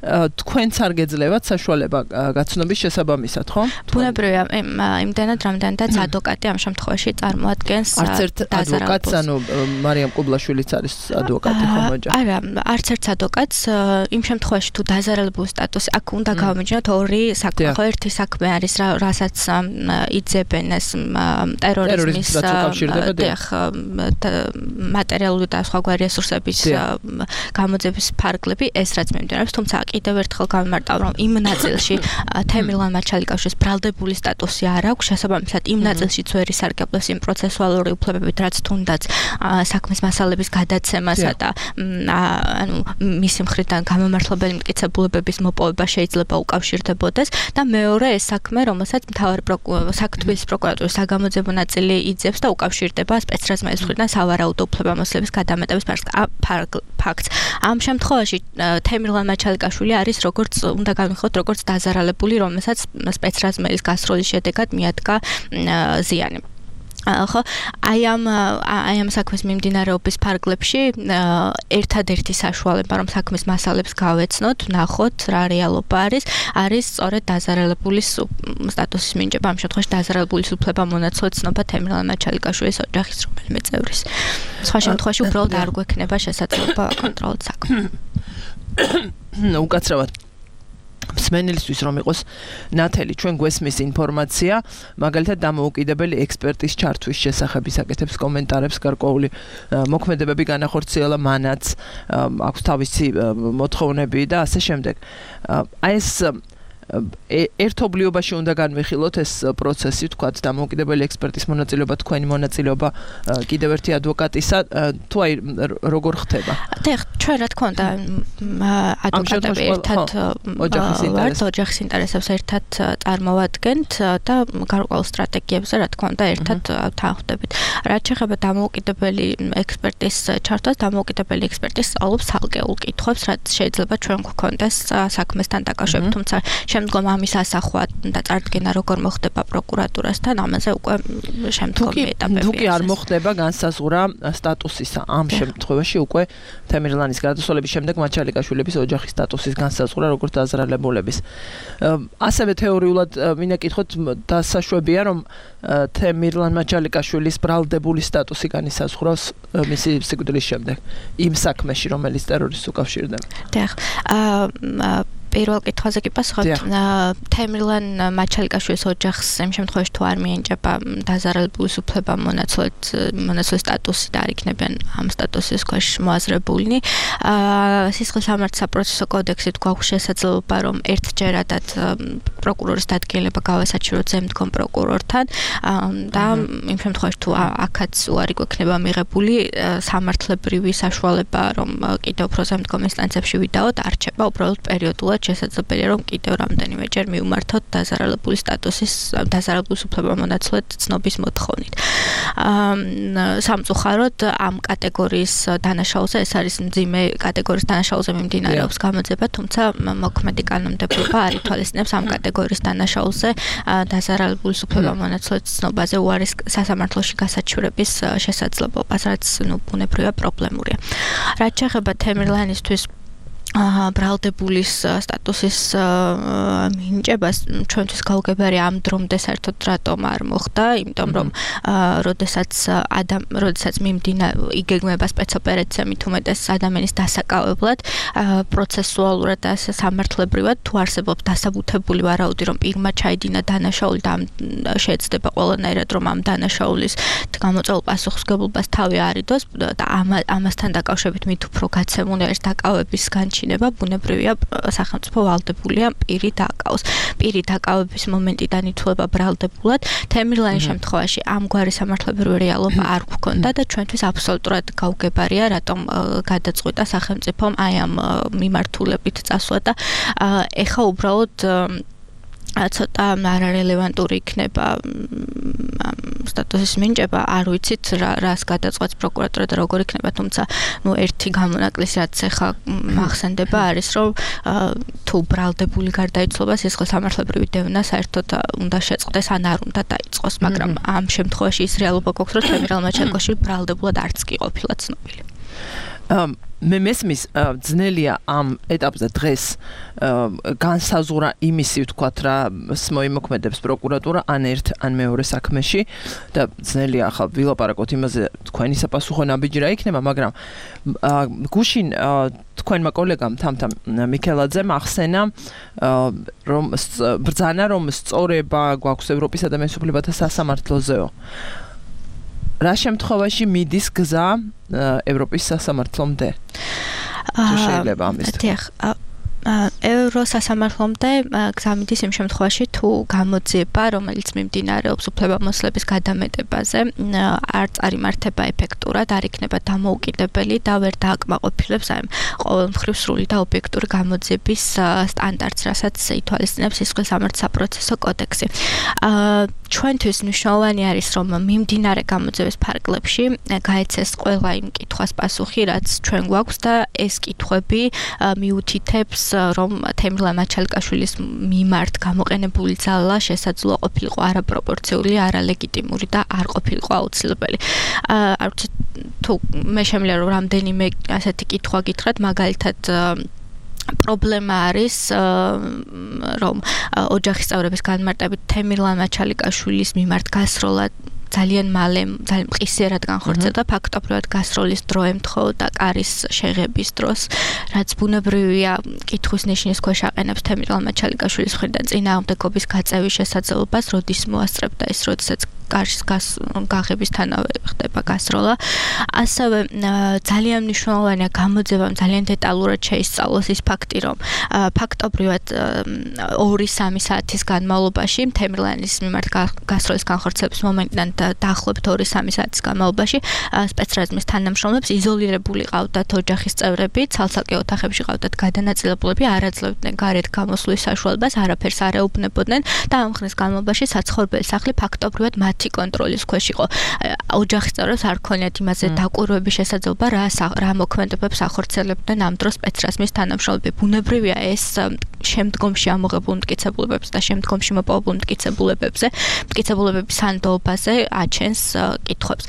S2: თქვენც არ გეძლევათ საშუალება გაცნობის შესაბამისად, ხო?
S8: ბუნებრივია, იმდენად რამდენადაც ადვოკატი ამ შემთხვევაში წარმოადგენს
S2: არც ერთ ადვოკატს, ანუ მარიამ კუბლაშვილიც არის ადვოკატი ხომ ოჯახი?
S8: არა, არც ერთ ადვოკატს იმ შემთხვევაში თუ დაზარალებული სტატუსი აქ უნდა გავამიჯნოთ ორი საქმე, ხო, ერთი საქმე არის რასაც იძებენ ეს ტერორიზმის მატერიალური და სხვაგვარი რესურსების გამოძიების ფარგლები, ეს რაც მიმდინარეობს, თუმცა კიდევ ერთხელ გამიმარტავ რომ იმ ნაწილში თემრლან მაჩალიკაშვილის ბრალდებული სტატუსი არ აქვს, შესაბამისად იმ ნაწილშიც ვერ ისარგებლეს იმ პროცესუალური უფლებებით, რაც თუნდაც საქმის მასალების გადაცემასა და ანუ მისი მხრიდან გამომართლებელი მტკიცებულებების მოპოვება შეიძლება უკავშირდებოდეს და მეორე ეს საქმე, რომელსაც მთავარი საქართველოს პროკურატურის საგამოძიებო ნაწილი იძებს და უკავშირდება სპეცრაზმეის მხრიდან სავარაუდო უფლებამოსილების გადამეტების ფაქტს. ამ შემთხვევაში თემრლან მაჩალიკაშვილი არის როგორც უნდა გავიხოთ როგორც დაზარალებული, რომელსაც სპეცრაზმეის გასროლის შედეგად მიადგა ზიანი. ხო, აი ამ აი ამ საქმის მიმდინარეობის ფარგლებში ერთადერთი საშუალება რომ საქმის მასალებს გავეცნოთ, ნახოთ რა რეალობა არის, არის სწორედ დაზარალებულის სტატუსის მინიჭება, ამ შემთხვევაში დაზარალებულის უფლებამონაცვლად ცნობა თემრლან მაჩალიკაშვილის ოჯახის რომელიმე წევრის. სხვა შემთხვევაში უბრალოდ არ გვექნება შესაძლებლობა აკონტროლოთ საქმე.
S2: უკაცრავად მსმენელისთვის რომ იყოს ნათელი, ჩვენ გვესმის ინფორმაცია, მაგალითად დამოუკიდებელი ექსპერტის ჩართვის შესახებ აკეთებს კომენტარებს, გარკვეული მოქმედებები განახორციელა მანაც, აქვს თავისი მოთხოვნები და ასე შემდეგ. აი ეს ერთობლიობაში უნდა განვიხილოთ ეს პროცესი, თქვათ, დამოუკიდებელი ექსპერტის მონაწილეობა, თქვენი მონაწილეობა, კიდევ ერთი ადვოკატისა, თუ აი როგორ ხდება?
S8: დიახ, ჩვენ რა თქმა უნდა ადვოკატები ერთად ვართ, ოჯახის ინტერესებს ერთად წარმოვადგენთ და გარკვეულ სტრატეგიებზე რა თქმა უნდა ერთად თანხმდებით. რაც შეეხება დამოუკიდებელი ექსპერტის ჩართვას, დამოუკიდებელი ექსპერტი სწავლობს ცალკეულ კითხვებს, რაც შეიძლება ჩვენ გვქონდეს საქმესთან დაკავშირებით, თუმცა შემდგომ ამის ასახვა და წარდგენა როგორ მოხდება პროკურატურასთან, ამაზე უკვე შემდგომი ეტაპები.
S2: თუ კი არ მოხდება განსაზღვრა სტატუსისა, ამ შემთხვევაში უკვე თემირლანის გარდაცვალების შემდეგ მაჩალიკაშვილების ოჯახის სტატუსის განსაზღვრა როგორც დაზრალებულების. ასევე თეორიულად მინდა კითხოთ, დასაშვებია რომ თემირლან მაჩალიკაშვილის ბრალდებული სტატუსი განისაზღვრავს მისი სიკვდილის შემდეგ იმ საქმეში, რომელიც ტერორისტს უკავშირდება.
S8: დიახ. აა პირველ კითხვაზე კი პასუხობ. თემირლან მაჩალიკაშვილის ოჯახს იმ შემთხვევაში თუ არ მიენიჭება დაზარალების უფლება მონაცვლედ მონაცვლის სტატუსი და არ იქნებიან ამ სტატუსის ქვეშ მოაზრებულნი. სისხლის სამართლის საპროცესო კოდექსით გვაქვს შესაძლებლობა რომ ერთჯერადად პროკურორის დადგენილება გავასაჩივროთ ზემდგომ პროკურორთან და იმ შემთხვევაში თუ აქაც უარი გვექნება მიღებული სამართლებრივი საშუალება რომ კიდევ უფრო ზემდგომ ინსტანციებში ვიდაოთ არ რჩება უბრალოდ პერიოდულად შესაძლებელია რომ კიდევ რამდენიმეჯერ მივმართოთ დაზარალებული სტატუსის დაზარალების უფლება მონაცვლედ ცნობის მოთხოვნით. სამწუხაროდ ამ კატეგორიის დანაშაულზე ეს არის მძიმე კატეგორიის დანაშაულზე მიმდინარეობს გამოძიება, თუმცა მოქმედი კანონმდებლობა არ ითვალისწინებს ამ კატეგორიის დანაშაულზე დაზარალების უფლება მონაცვლედ ცნობაზე უარის სასამართლოში გასაჩივრების შესაძლებლობას, რაც ნუ ბუნებრივია პრობლემურია. რაც შეეხება თემირლანისთვის ბრალდებულის სტატუსის მინიჭებას ჩვენთვის გაუგებარი ამ დრომდე საერთოდ რატომ არ მოხდა, იმიტომ რომ როდესაც ადამ როდესაც მიმდინა იგეგმება სპეცოპერაცია მით უმეტეს ადამიანის დასაკავებლად, პროცესუალურად და სამართლებრივად თუ არსებობს დასაბუთებული ვარაუდი, რომ პირმა ჩაიდინა დანაშაული და შეეცდება ყველანაირად რომ ამ დანაშაულის გამოწვეულ პასუხისმგებლობას თავი არიდოს და ამასთან დაკავშირებით მით უფრო გაცემული არის დაკავების განჩინება ბუნებრივია სახელმწიფო ვალდებულია პირი დაკავს. პირი დაკავების მომენტიდან ითვლება ბრალდებულად. თემირლანის შემთხვევაში ამგვარი სამართლებრივი რეალობა არ გვქონდა და ჩვენთვის აბსოლუტურად გაუგებარია, რატომ გადაწყვიტა სახელმწიფომ აი ამ მიმართულებით წასვლა და ეხა უბრალოდ ცოტა არარელევანტური იქნება სტატუსის მინიჭება, არ ვიცით რას გადაწყვეტს პროკურატურა და როგორ იქნება, თუმცა ნუ ერთი გამონაკლისი რაც ახლა მახსენდება არის რომ თუ ბრალდებული გარდაიცვალა სისხლის სამართლებრივი დევნა საერთოდ უნდა შეწყდეს ან არ უნდა დაიწყოს, მაგრამ ამ შემთხვევაში ის რეალობა გვაქვს რომ თემირლან მაჩალიკაშვილი ბრალდებულად არც კი ყოფილა ცნობილი.
S2: მე მესმის ძნელია ამ ეტაპზე დღეს განსაზღვრა იმისი ვთქვათ რა მოიმოქმედებს პროკურატურა ან ერთ ან მეორე საქმეში და ძნელია ახლა ვილაპარაკოთ იმაზე თქვენი საფასუხო ნაბიჯი რა იქნება, მაგრამ გუშინ თქვენმა კოლეგამ თამთა მიქელაძემ ახსენა რომ ბრძანა რომ სწორება გვაქვს ევროპის ადამიანის უფლებათა სასამართლოზეო. რა შემთხვევაში მიდის გზა ევროპის სასამართლომდე? თუ შეიძლება ამის.
S8: დიახ, ევროსასამართლომდე გზა მიდის იმ შემთხვევაში თუ გამოძიება, რომელიც მიმდინარეობს უფლებამოსილების გადამეტებაზე, არ წარიმართება ეფექტურად, არ იქნება დამოუკიდებელი და ვერ დააკმაყოფილებს აი ყოველმხრივ სრული და ობიექტური გამოძიების სტანდარტს, რასაც ითვალისწინებს სისხლის სამართლის საპროცესო კოდექსი. ჩვენთვის მნიშვნელოვანი არის, რომ მიმდინარე გამოძიების ფარგლებში გაეცეს ყველა იმ კითხვას პასუხი, რაც ჩვენ გვაქვს და ეს კითხვები მიუთითებს რომ თემირლან მაჩალიკაშვილის მიმართ გამოყენებული ძალა შესაძლოა ყოფილიყო არაპროპორციული, არალეგიტიმური და არ ყოფილიყო აუცილებელი. არ ვიცი თუ მე შემიძლია რომ რამდენიმე ასეთი კითხვა გითხრათ, მაგალითად პრობლემა არის რომ ოჯახის წევრების განმარტებით თემირლან მაჩალიკაშვილის მიმართ გასროლა ძალიან მალე, ძალიან მყისიერად განხორციელდა, ფაქტობრივად გასროლის დრო ემთხოვდა კარის შეღების დროს, რაც ბუნებრივია კითხვის ნიშნის ქვეშ აყენებს თემირლან მაჩალიკაშვილის მხრიდან წინააღმდეგობის გაწევის შესაძლებლობას, როდის მოასწრებდა ის, როდესაც კარის გაღებისთანავე ხდება გასროლა. ასევე ძალიან მნიშვნელოვანია გამოძიებამ ძალიან დეტალურად შეისწავლოს ის ფაქტი, რომ ფაქტობრივად ორი სამი საათის განმავლობაში თემირლანის მიმართ გასროლის განხორციელების მომენტიდან დაახლოებით ორი სამი საათის განმავლობაში სპეცრაზმის თანამშრომლებს იზოლირებული ყავდათ ოჯახის წევრები, ცალ-ცალკე ოთახებში ყავდათ გადანაწილებულები, არ აძლევდნენ გარეთ გამოსვლის საშუალებას, არაფერს არ ეუბნებოდნენ და ამ ხნის განმავლობაში საცხოვრებელი სახლი ფაქტობრივად მათი კონტროლის ქვეშ იყო. ოჯახის წევრებს არ ქონიათ იმაზე დაკვირვების შესაძლებლობა, რა რა მოქმედებებს ახორციელებდნენ ამ დროს სპეცრაზმის თანამშრომლები. ბუნებრივია ეს შემდგომში ამოღებულ მტკიცებულებებს და შემდგომში მოპოვებულ მტკიცებულებებზე, მტკიცებულებების სანდოობაზე აჩენს კითხვებს.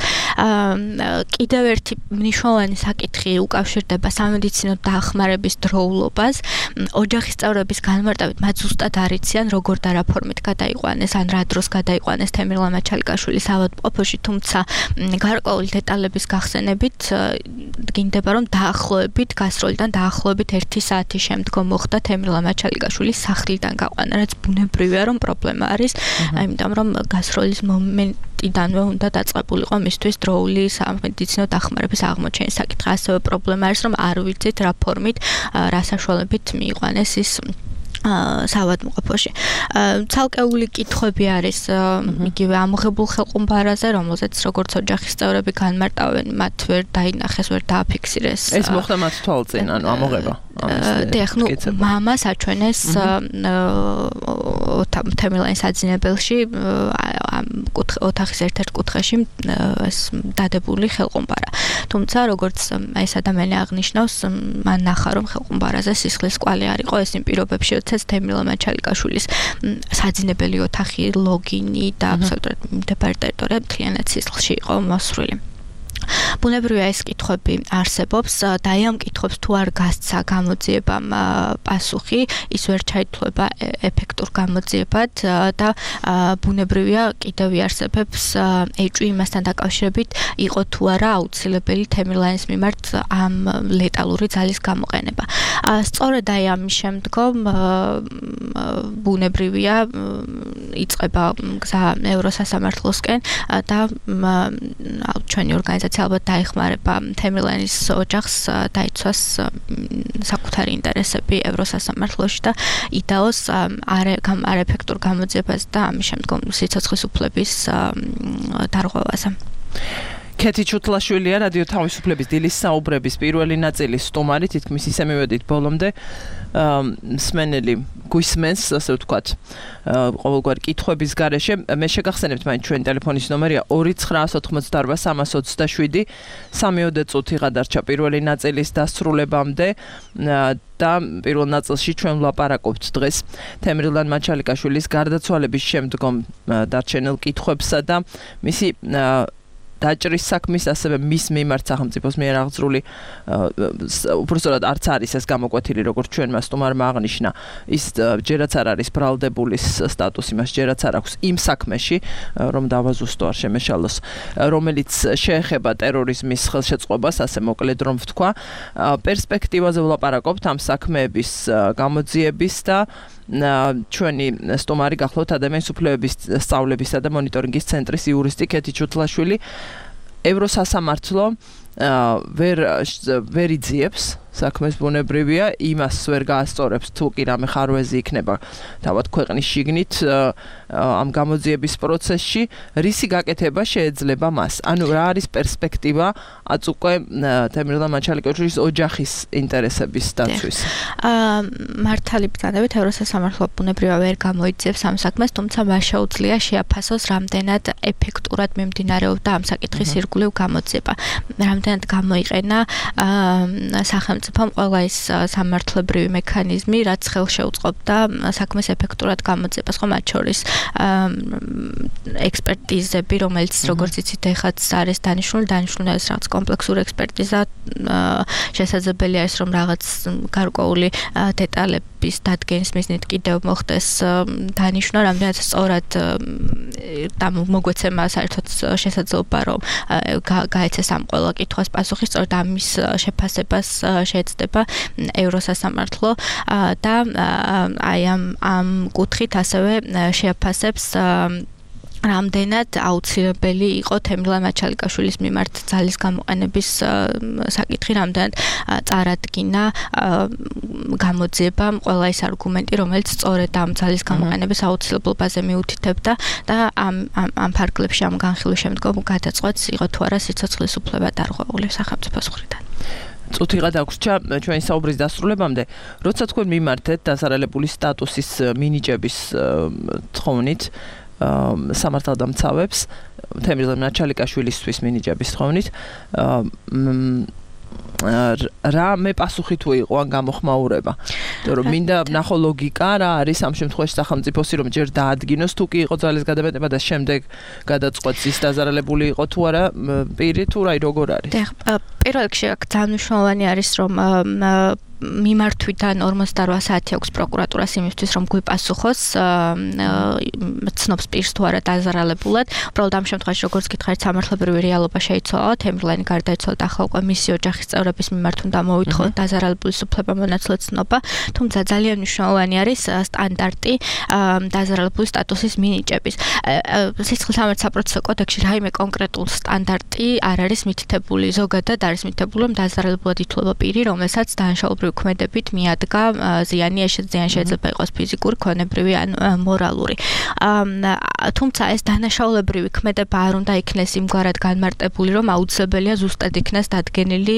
S8: კიდევ ერთი მნიშვნელოვანი საკითხი უკავშირდება სამედიცინო დახმარების დროულობას. ოჯახის წევრების განმარტებით მათ ზუსტად არ იციან, როგორ და რა ფორმით გადაიყვანეს, ან რა დროს გადაიყვანეს თემირლან მაჩალიკაშვილის ავადმყოფოში, თუმცა გარკვეული დეტალების გახსენებით დგინდება, რომ დაახლოებით გასროლიდან დაახლოებით ერთი საათის შემდგომ მოხდა თემირლან მაჩალიკაშვილის სახლიდან გაყვანა, რაც ბუნებრივია, რომ პრობლემა არის, იმიტომ რომ გასროლის მომენტიდანვე უნდა დაწყებულიყო მისთვის დროული სამედიცინო დახმარების აღმოჩენის საკითხი. ასევე პრობლემა არის, რომ არ ვიცით რა ფორმით, რა საშუალებით მიიყვანეს ის სავადმყოფოში. ცალკეული კითხვები არის იგივე ამოღებულ ხელყუმბარაზე, რომელზეც როგორც ოჯახის წევრები განმარტავენ, მათ ვერ დაინახეს, ვერ დააფიქსირეს.
S2: ეს მოხდა მათ თვალწინ, ანუ ამოღება.
S8: დიახ, ნუ მამას აჩვენეს თემირლანის საძინებელში ოთახის ერთ-ერთ კუთხეში დადებული ხელყუმბარა. თუმცა როგორც ეს ადამიანი აღნიშნავს, მან ნახა, რომ ხელყუმბარაზე სისხლის კვალი არ იყო, ეს იმ პირობებში თემირლან მაჩალიკაშვილის საძინებელი ოთახი, ლოგინი და აბსოლუტურად მდებარე ტერიტორია მთლიანად სისხლში იყო მოსრული. ბუნებრივია ეს კითხვები არსებობს და ამ კითხვებს თუ არ გასცა გამოძიებამ პასუხი, ის ვერ ჩაითვლება ეფექტურ გამოძიებად და ბუნებრივია კიდევ იარსებებს ეჭვი იმასთან დაკავშირებით, იყო თუ არა აუცილებელი თემირლანის მიმართ ამ ლეტალური ძალის გამოყენება. სწორედ აი ამის შემდგომ ბუნებრივია იწყება გზა ევროსასამართლოსკენ და ჩვენი ორგანიზაცია ალბათ დაეხმარება თემირლანის ოჯახს დაიცვას საკუთარი ინტერესები ევროსასამართლოში და იდაოს არაეფექტურ გამოძიებას და ამის შემდგომ სიცოცხლის უფლების დარღვევაზე.
S2: კეთი ჩუთლაშვილია რადიო თავისუფლების დილის საუბრების პირველი ნაწილის სტუმარი, თითქმის ისე მივედით ბოლომდე. მსმენელი გვისმენს, ასე ვთქვათ, ყოველგვარი კითხვების გარეშე. მე შეგახსენებთ, მაინც ჩვენი ტელეფონის ნომერია ორი ცხრა ოთხმოცდაარბა სამას ოცდაშვიდი. სამიოდე წუთი გადარჩა პირველი ნაწილის დასრულებამდე და პირველ ნაწილში ჩვენ ვლაპარაკობთ დღეს თემირლან მაჩალიკაშვილის გარდაცვალების შემდგომ დარჩენილ კითხვებსა და მისი დაჭრის საქმის, ასევე მის მიმართ სახელმწიფოს მიერ აღძრული უბრალოდ არც არის ეს გამოკვეთილი, როგორც ჩვენმა სტუმარმა აღნიშნა, ის ჯერაც არ არის ბრალდებულის სტატუსი, მას ჯერაც არ აქვს იმ საქმეში, რომ დავაზუსტო არ შემეშალოს, რომელიც შეეხება ტერორიზმის ხელშეწყობას, ასე მოკლედ რომ ვთქვა. პერსპექტივაზე ვლაპარაკობთ ამ საქმეების გამოძიების და ჩვენი სტუმარი გახლავთ ადამიანის უფლებების სწავლებისა და მონიტორინგის ცენტრის იურისტი კეთი ჩუთლაშვილი. ევროსასამართლო ვერ ვერ იძიებს საქმეს, ბუნებრივია, იმას ვერ გაასწორებს თუ კი რამე ხარვეზი იქნება თავად ქვეყნის შიგნით ამ გამოძიების პროცესში, რისი გაკეთება შეეძლება მას. ანუ რა არის პერსპექტივა აც უკვე თემირლან მაჩალიკაშვილის ოჯახის ინტერესების დაცვის.
S8: მართალი ბრძანებით ევროსასამართლო ბუნებრივია ვერ გამოიძიებს ამ საქმეს, თუმცა მას შეუძლია შეაფასოს რამდენად ეფექტურად მიმდინარეობდა ამ საკითხის ირგვლივ გამოძიება. რამდენად გამოიყენა სახელმწიფო ყველა ის სამართლებრივი მექანიზმი, რაც ხელშეუწყობდა საქმეს ეფექტურად გამოძიებას, ხო, მათ შორის ექსპერტიზები, რომელიც როგორც იცით, ეხაც არის დანიშნული, დანიშნული არის რაღაც კომპლექსური ექსპერტიზა, შესაძლებელია ის, რომ რაღაც გარკვეული დეტალების დადგენის მიზნით კიდევ მოხდეს დანიშნვა, რამდენად სწორად და მოგვეცემა საერთოდ შესაძლებლობა, რომ გაეცეს ამ ყველა კითხვას პასუხი, სწორედ ამის შეფასებას შეეცდება ევროსასამართლო და აი ამ ამ კუთხით ასევე შეაფასებს რამდენად აუცილებელი იყო თემრლან მაჩალიკაშვილის მიმართ ძალის გამოყენების საკითხი, რამდენად წარადგინა გამოძიებამ ყველა ის არგუმენტი, რომელიც სწორედ ამ ძალის გამოყენების აუცილებლობაზე მიუთითებდა და ამ ამ ფარგლებში ამ განხილვის შემდგომ გადაწყვეტს იყო თუ არა სიცოცხლის უფლება დარღვეული სახელმწიფოს მხრიდან.
S2: წუთი გადაგვრჩა ჩვენი საუბრის დასრულებამდე, როცა თქვენ მიმართეთ დასარალებული სტატუსის მინიჭების თხოვნით სამართალდამცავებს თემრლან მაჩალიკაშვილისთვის მინიჭების თხოვნით რა მე პასუხი თუ იყო ან გამოხმაურება. იმიტომ რომ მინდა ნახო ლოგიკა რა არის ამ შემთხვევაში სახელმწიფოსი რომ ჯერ დაადგინოს თუ კი იყო ძალის გადამეტება და შემდეგ გადაწყვეტს ის დაზარალებული იყო თუ არა პირი თუ რა როგორ არის.
S8: პირველ რიგში აქ ძალიან მნიშვნელოვანი არის რომ მიმართვითან ორმოცდაოთხ საათი აქვს პროკურატურას იმისთვის რომ გვიპასუხოს ცნობს პირს თუ არა დაზარალებულად. უბრალოდ ამ შემთხვევაში როგორც გითხარით სამართლებრივი რეალობა შეიცვალა, თემრლანი გარდაიცვალა და ახლა უკვე მისი ოჯახის წევრების მიმართ უნდა მოითხოვოთ დაზარალებულის უფლებამონაცვლე ცნობა, თუმცა ძალიან მნიშვნელოვანი არის სტანდარტი დაზარალებული სტატუსის მინიჭების. სიცხლის სამართლის საპროცესო კოდექსში რაიმე კონკრეტულ სტანდარტი არ არის მითითებული. ზოგადად არის მითითებული რომ დაზარალებულად ითვლება პირი, რომელსაც დანაშაულებრივი ქმედებით მიადგა ზიანი, ეს ზიანი შეიძლება იყოს ფიზიკური, ქონებრივი ან მორალური. თუმცა ეს დანაშაულებრივი ქმედება არ უნდა იქნეს იმგვარად განმარტებული, რომ აუცილებელია ზუსტად იქნეს დადგენილი,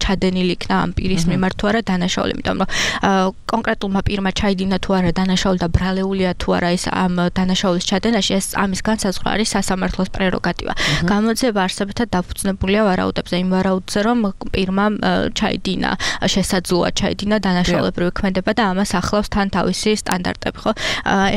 S8: ჩადენილი იქნა ამ პირის მიმართ თუ არა დანაშაული, იმიტომ რომ კონკრეტულმა პირმა ჩაიდინა თუ არა დანაშაული და ბრალეულია თუ არა ის ამ დანაშაულის ჩადენაში, ეს ამის განსაზღვრა არის სასამართლოს პრეროგატივა. გამოძიება არსებითად დაფუძნებულია ვარაუდებზე, იმ ვარაუდზე, რომ პირმა ჩაიდინა შესაძლოა ჩაიდინა დანაშაულებრივი ქმედება და ამას ახლავს თან თავისი სტანდარტები, ხო?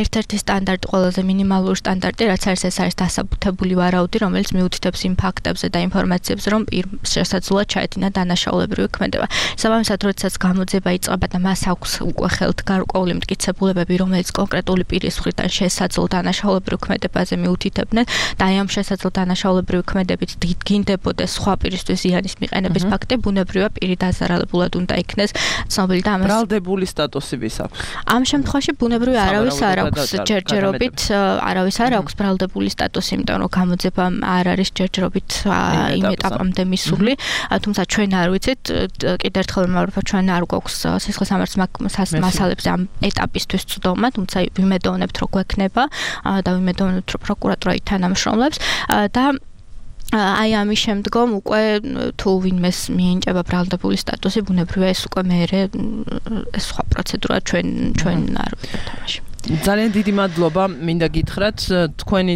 S8: ერთ-ერთი სტანდარტი, ყველაზე მინიმალური სტანდარტი, რაც არის, ეს არის დასაბუთებული ვარაუდი, რომელიც მიუთითებს იმ ფაქტებზე და ინფორმაციებზე, რომ პირს შესაძლოა ჩაიდინა დანაშაულებრივი ქმედება. საბამისად, როდესაც გამოძიება იწყება და მას აქვს უკვე ხელთ გარკვეული მტკიცებულებები, რომელიც კონკრეტული პირის მხრიდან შესაძლო დანაშაულებრივ ქმედებაზე მიუთითებდნენ და აი ამ შესაძლო დანაშაულებრივი ქმედებით დგინდებოდეს სხვა პირისთვის ზიანის მიყენების ფაქტი, ბუნებრივია პირი დაზარალებულად უნდა იქნეს ცნობილი და ამას
S2: ბრალდებული სტატუსი ვის აქვს?
S8: ამ შემთხვევაში ბუნებრივი არავის არ აქვს ჯერჯერობით, არავის არ აქვს ბრალდებული სტატუსი, იმიტომ რომ გამოძიება არ არის ჯერჯერობით იმ ეტაპამდე მისული, თუმცა ჩვენ არ ვიცით, კიდევ ერთხელ ვიმეორებ, ჩვენ არ გვაქვს სისხლის სამართლის მასალებზე ამ ეტაპისთვის ცდომა, თუმცა ვიმედოვნებთ, რომ გვექნება და ვიმედოვნებთ, რომ პროკურატურა ითანამშრომლებს და აი ამის შემდგომ უკვე თუ ვინმეს მიენიჭება ბრალდებული სტატუსი, ბუნებრივია ეს უკვე მეერე სხვა პროცედურა ჩვენ ჩვენ არ ვიყავთ თამაში.
S2: ძალიან დიდი მადლობა, მინდა გითხრათ, თქვენი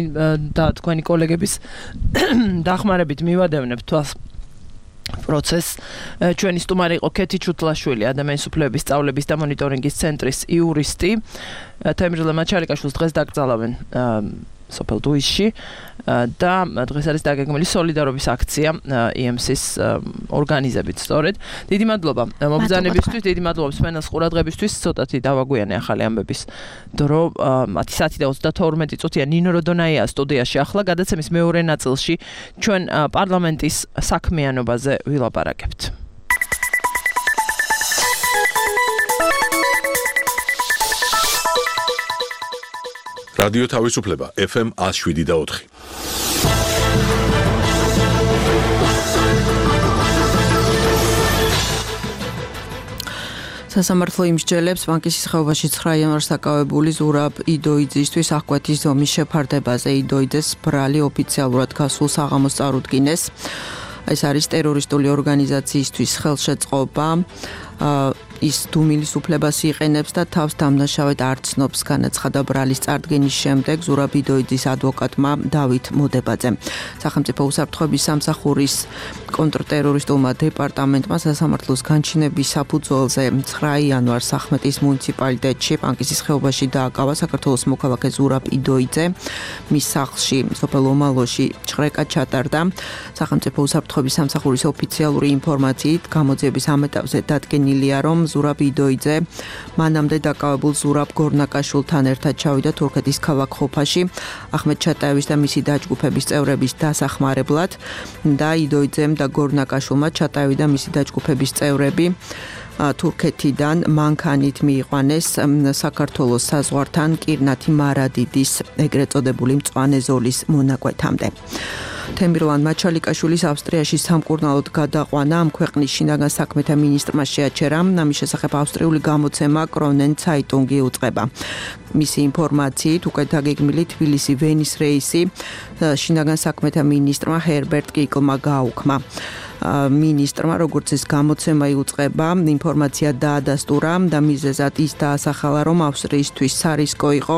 S2: და თქვენი კოლეგების დახმარებით მივადევნებთ თვალს პროცესს. ჩვენი სტუმარი იყო ქეთი ჩუთლაშვილი, ადამიანის უფლებების სწავლების და მონიტორინგის ცენტრის იურისტი. თემრლან მაჩალიკაშვილს დღეს დაკრძალავენ სოფელ დუისში და დღეს არის დაგეგმილი სოლიდარობის აქცია ი ემ სის ორგანიზებით სწორედ. დიდი მადლობა მობრძანებისთვის, დიდი მადლობა მსმენელს ყურადღებისთვის. ცოტათი დავაგვიანე ახალი ამბების დრო ათი საათი და ოცდათორმეტი წუთია. ნინო როდონაია სტუდიაში. ახლა გადაცემის მეორე ნაწილში ჩვენ პარლამენტის საქმიანობაზე ვილაპარაკებთ.
S1: რადიო თავისუფლება ეფ ემ ათს შვიდი და ოთხი.
S9: სასამართლო იმსჯელებს ბანკის ხეობაში ცხრა იანვარს დაკავებული ზურაბ იდოიძისთვის აღკვეთის ზომის შეფარდებაზე. იდოიძეს ბრალი ოფიციალურად გასულ საღამოს წარუდგინეს. ეს არის ტერორისტული ორგანიზაციისთვის ხელშეწყობა. ის დუმილის უფლებას იყენებს და თავს დამნაშავედ არ ცნობს, განაცხადა ბრალის წარდგენის შემდეგ ზურაბ იდოიძის ადვოკატმა დავით მოდებაძემ. სახელმწიფო უსაფრთხოების სამსახურის კონტრტერორისტულმა დეპარტამენტმა სასამართლოს განჩინების საფუძველზე ცხრა იანვარს ახმეტის მუნიციპალიტეტში პანკისის ხეობაში დააკავა საქართველოს მოქალაქე ზურაბ იდოიძე. მის სახლში სოფელ ომალოში ჭრეკა ჩატარდა. სახელმწიფო უსაფრთხოების სამსახურის ოფიციალური ინფორმაციით გამოძიების ამ ეტაპზე დადგენილია, რომ ზურაბ იდოიძე მანამდე დაკავებულ ზურაბ გორნაკაშვილთან ერთად ჩავიდა თურქეთის ქალაქ ხოფაში ახმედ ჩატაევის და მისი დაჯგუფების წევრების დასახმარებლად და იდოიძემ და გორნაკაშვილმა ჩატაევი და მისი დაჯგუფების წევრები თურქეთიდან მანქანით მიიყვანეს საქართველოს საზღვართან კირნათი მარადიდის ეგრეთ წოდებული მწვანე ზოლის მონაკვეთამდე. თემირლან მაჩალიკაშვილის ავსტრიაში სამკურნალოდ გადაყვანა ამ ქვეყნის შინაგან საქმეთა მინისტრმა შეაჩერა. ამის შესახებ ავსტრიული გამოცემა კრონენ ცაიტუნგი უწყება. მისი ინფორმაციით უკეთ დაგეგმილი თბილისი-ვენის რეისი შინაგან საქმეთა მინისტრმა ჰერბერტ კიკლმა გააუქმა. მინისტრმა როგორც ეს გამოცემა იუწყება, ინფორმაცია დაადასტურა და მიზეზად ის დაასახალა, რომ ავსტრიისთვის სარისკო იყო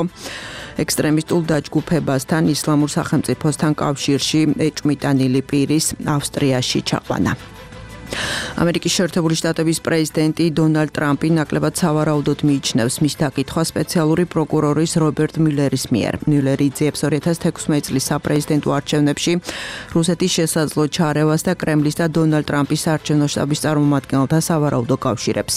S9: ექსტრემისტულ დაჯგუფებასთან ისლამურ სახელმწიფოსთან კავშირში ეჭვმიტანილი პირის ავსტრიაში ჩაყვანა. ამერიკის შეერთებული შტატების პრეზიდენტი დონალდ ტრამპი ნაკლებად სავარაუდოდ მიიჩნევს მის დაკითხვას სპეციალური პროკურორის რობერტ მიულერის მიერ. მიულერი იძიებს ორი ათას თექვსმეტი წლის საპრეზიდენტო არჩევნებში რუსეთის შესაძლო ჩარევას და კრემლის და დონალდ ტრამპის საარჩევნო შტაბის წარმომადგენელთა სავარაუდო კავშირებს.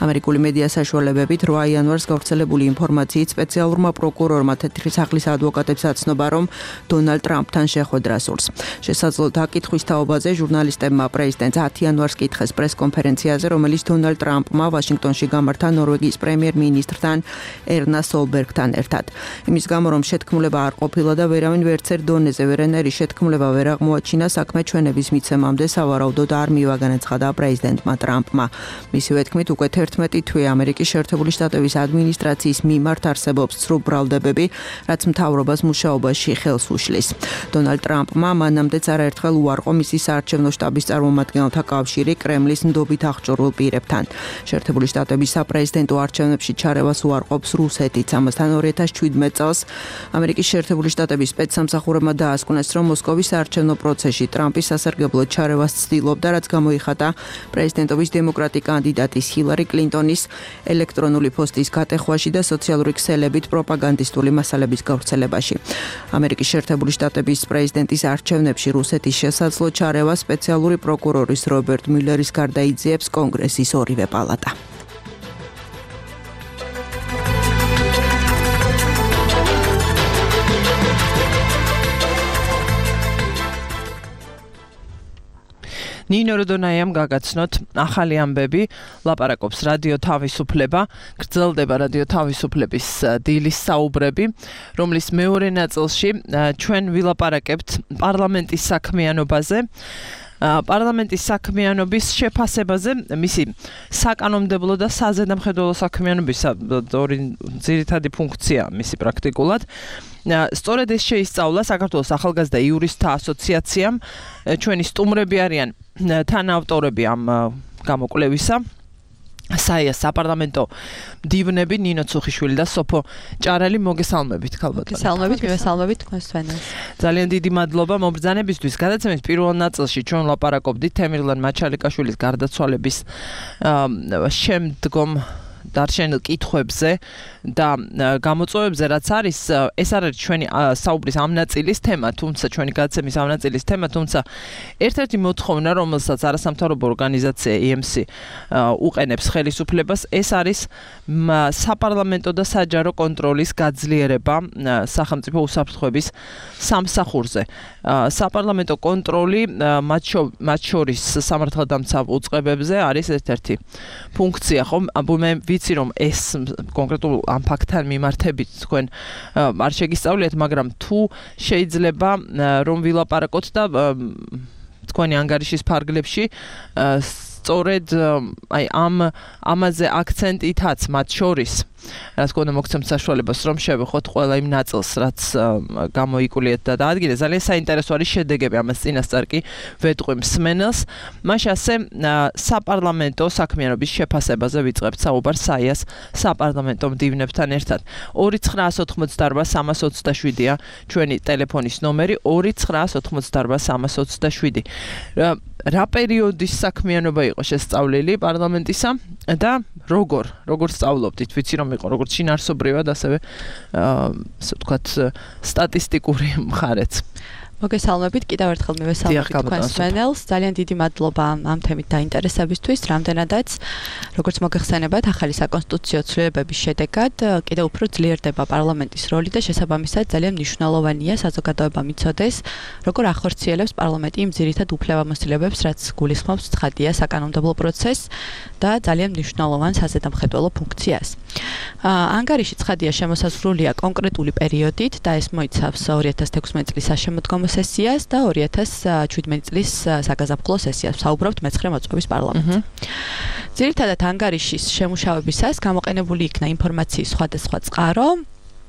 S9: ამერიკული მედია საშუალებებით რვა იანვარს გავრცელებული ინფორმაციით სპეციალურმა პროკურორმა თეთრი სახლის ადვოკატებს აცნობა, რომ დონალდ ტრამპთან შეხვედრა სურს. შესაძლო დაკითხვის თაობაზე ჟურნალისტებმა პრეზიდენტს ათი იანვარს კითხეს პრეს-კონფერენციაზე, რომელიც დონალდ ტრამპმა ვაშინგტონში გამართა ნორვეგიის პრემიერ-მინისტრთან ერნა სოლბერგთან ერთად. იმის გამო, რომ შეთქმულება არ ყოფილა და ვერავინ ვერცერთ დონეზე ვერანაირი შეთქმულება ვერ აღმოაჩინა, საქმე ჩვენების მიცემამდე სავარაუდოდ არ მივაგანაცხადა პრეზიდენტმა ტრამპმა. მისივე თქმით, უკვე თერთმეტი თვე ამერიკის შეერთებული შტატების ადმინისტრაციის მიმართ არსებობს ცრუ ბრალდებები, რაც მთავრობას მუშაობაში ხელს უშლის. დონალდ ტრამპმა მანამდეც არაერთხელ უარყო მისი საარჩევნო შტაბის წარმომადგენელთა კავშირი კრემლის ნდობით აღჭურვილ პირებთან. შეერთებული შტატების საპრეზიდენტო არჩევნებში ჩარევას უარყოფს რუსეთიც. ამასთან ორი ათას შვიდმეტი წელს ამერიკის შეერთებული შტატების სპეცსამსახურებმა დაასკვნეს, რომ მოსკოვის საარჩევნო პროცესში ტრამპის სასარგებლოდ ჩარევას ცდილობდა, რაც გამოიხატა პრეზიდენტობის დემოკრატი კანდიდატის ჰილარი კლინტონის ელექტრონული პოსტის გატეხვაში და სოციალური ქსელებით პროპაგანდისტული მასალების გავრცელებაში. ამერიკის შეერთებული შტატების პრეზიდენტის არჩევნებში რუსეთის შესაძლო ჩარევა სპეციალური პროკურორის რობერტ მიულერის გარდა იძიებს კონგრესის ორივე პალატა.
S2: ნინო როდონაიამ გაგაცნოთ ახალი ამბები, ლაპარაკობს რადიო თავისუფლება, გრძელდება რადიო თავისუფლების დილის საუბრები, რომლის მეორე ნაწილში ჩვენ ვილაპარაკებთ პარლამენტის საქმიანობაზე. პარლამენტის საქმიანობის შეფასებაზე, მისი საკანონმდებლო და საზედამხედველო საქმიანობის ორი ძირითადი ფუნქცია მისი პრაქტიკულად. სწორედ ეს შეისწავლა საქართველოს ახალგაზრდა იურისტთა ასოციაციამ, ჩვენი სტუმრები არიან თანაავტორები ამ გამოკვლევისა. საია საპარლამენტო მდივნები ნინო ცუხიშვილი და სოფო ჭარალი მოგესალმებით ქალბატონო.
S10: მოგესალმებით, მივესალმებით თქვენს თვენას.
S2: ძალიან დიდი მადლობა მობრძანებისთვის. გადაცემის პირველ ნაწილში ჩვენ ლაპარაკობდით თემირლან მაჩალიკაშვილის გარდაცვალების შემდგომ დარჩენილ კითხვებზე და გამოწვევებზე, რაც არის, ეს არ არის ჩვენი საუბრის ამ ნაწილის თემა, თუმცა ჩვენი გადაცემის ამ ნაწილის თემა, თუმცა ერთ-ერთი მოთხოვნა, რომელსაც არასამთავრობო ორგანიზაცია ი ემ სი უყენებს ხელისუფლებას, ეს არის საპარლამენტო და საჯარო კონტროლის გაძლიერება სახელმწიფო უსაფრთხოების სამსახურზე. საპარლამენტო კონტროლი მათ შორის სამართალდამცავ უწყებებზე არის ერთ-ერთი ფუნქცია, ხო? მე ვიცი, რომ ეს კონკრეტულ ამ ფაქტთან მიმართებით თქვენ არ შეგისწავლიათ, მაგრამ თუ შეიძლება რომ ვილაპარაკოთ და თქვენი ანგარიშის ფარგლებში სწორედ აი ამ ამაზე აქცენტითაც მათ შორის რა თქმა უნდა მოგცემთ საშუალებას რომ შევეხოთ ყველა იმ ნაწილს რაც გამოიკულიეთ და დაადგინეთ. ძალიან საინტერესო არის შედეგები, ამას წინასწარ კი ვეტყვი მსმენელს. მაშ ასე საპარლამენტო საქმიანობის შეფასებაზე ვიწყებთ საუბარს საიას საპარლამენტო მდივნებთან ერთად. ორი ცხრაას ოთხმოცდაარბა სამას ოცდაშვიდია ჩვენი ტელეფონის ნომერი ორი ცხრაას ოთხმოცდაარბა სამას ოცდაშვიდი. რა პერიოდის საქმიანობა იყო შესწავლილი პარლამენტისა და როგორ როგორ სწავლობდით? ვიცი რომ იყო როგორც შინაარსობრივად, ასევე ასე ვთქვათ სტატისტიკური მხარეც.
S10: მოგესალმებით, კიდევ ერთხელ მივესალმებით თქვენს მსმენელს. ძალიან დიდი მადლობა ამ თემით დაინტერესებისთვის. რამდენადაც, როგორც მოგეხსენებათ, ახალი საკონსტიტუციო ცვლილებების შედეგად კიდევ უფრო ძლიერდება პარლამენტის როლი და შესაბამისად ძალიან მნიშვნელოვანია საზოგადოებამ იცოდეს, როგორ ახორციელებს პარლამენტი იმ ძირითად უფლებამოსილებებს, რაც გულისხმობს ცხადია საკანონმდებლო პროცესს და ძალიან მნიშვნელოვან საზედამხედველო ფუნქციას. ანგარიში ცხადია შემოსაზღვრულია კონკრეტული პერიოდით და ეს მოიცავს ორი ათას თექვსმეტი წლის საშემოდგომო სესიას და ორი ათას შვიდმეტი წლის საგაზაფხულო სესიას. ვსაუბრობთ მეცხრე მოწვევის პარლამენტზე. ძირითადად ანგარიშის შემუშავებისას გამოყენებული იქნა ინფორმაციის სხვადასხვა წყარო.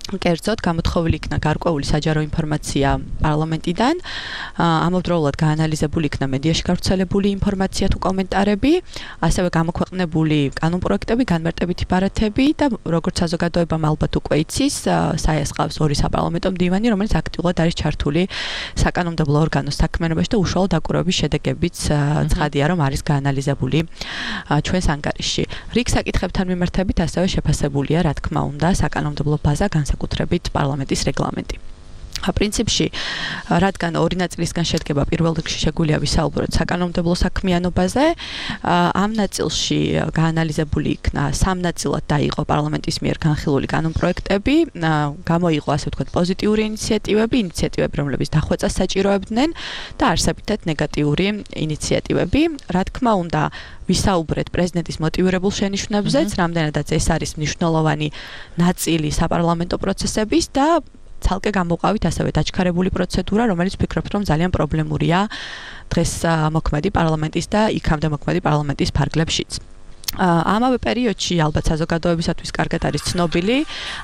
S10: კერძოდ გამოთხოვილი იქნა გარკვეული საჯარო ინფორმაცია პარლამენტიდან, ამავდროულად გაანალიზებული იქნა მედიაში გავრცელებული ინფორმაცია თუ კომენტარები, ასევე გამოქვეყნებული კანონპროექტები, განმარტებითი ბარათები და როგორც საზოგადოებამ ალბათ უკვე იცის, საეს ყავს ორი საპარლამენტო მდივანი, რომელიც აქტიურად არის ჩართული საკანონმდებლო ორგანოს საქმიანობაში და უშუალო დაკვირვების შედეგებიც ცხადია, რომ არის გაანალიზებული ჩვენს ანგარიშში. რიგ საკითხებთან მიმართებით ასევე შეფასებულია, რა თქმა უნდა, საკანონმდებლო ბაზა განსაკუთრებით პარლამენტის რეგლამენტი. პრინციპში, რადგან ორი ნაწილისგან შედგება, პირველ რიგში შეგვიძლია ვისაუბროთ საკანონმდებლო საქმიანობაზე, ამ ნაწილში გაანალიზებული იქნა სამ ნაწილად დაიყო პარლამენტის მიერ განხილული კანონპროექტები, გამოიყო ასე ვთქვათ პოზიტიური ინიციატივები, ინიციატივები, რომლებიც დახვეწას საჭიროებდნენ და არსებითად ნეგატიური ინიციატივები. რა თქმა უნდა, ვისაუბრეთ პრეზიდენტის მოტივირებულ შენიშვნებზეც, რამდენადაც ეს არის მნიშვნელოვანი ნაწილი საპარლამენტო პროცესების და ცალკე გამოვყავით ასევე დაჩქარებული პროცედურა, რომელიც ვფიქრობ, რომ ძალიან პრობლემურია დღეს მოქმედი პარლამენტის და იქამდე მოქმედი პარლამენტის ფარგლებშიც. ამავე პერიოდში ალბათ საზოგადოებისათვის კარგად არის ცნობილი,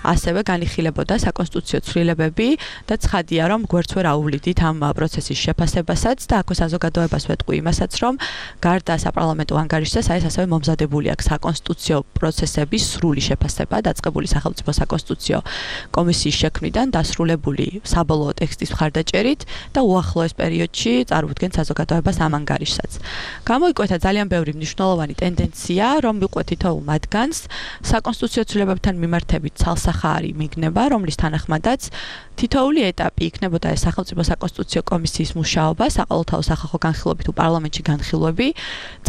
S10: ასევე განიხილებოდა საკონსტიტუციო ცვლილებები და ცხადია, რომ გვერდს ვერ აუვლიდით ამ პროცესის შეფასებასაც და აქ საზოგადოებას ვეტყვი იმასაც, რომ გარდა საპარლამენტო ანგარიშისა, ეს ასევე მომზადებული აქვს საკონსტიტუციო პროცესების სრული შეფასება, დაწყებული სახელმწიფო საკონსტიტუციო კომისიის შექმნიდან დასრულებული საბოლოო ტექსტის მხარდაჭერით და უახლოეს პერიოდში წარუდგენთ საზოგადოებას ამ ანგარიშსაც. გამოიკვეთა ძალიან ბევრი მნიშვნელოვანი ტენდენცია, რომ ვიყვეთ თითოეულ მათგანს საკონსტიტუციო ცვლილებებთან მიმართებით ცალსახარი მიგნება, რომლის თანახმადაც თითოეული ეტაპი იქნებოდა ეს სახელმწიფო საკონსტიტუციო კომისიის მუშაობა, საყოველთაო სახალხო განხილვები თუ პარლამენტში განხილვები,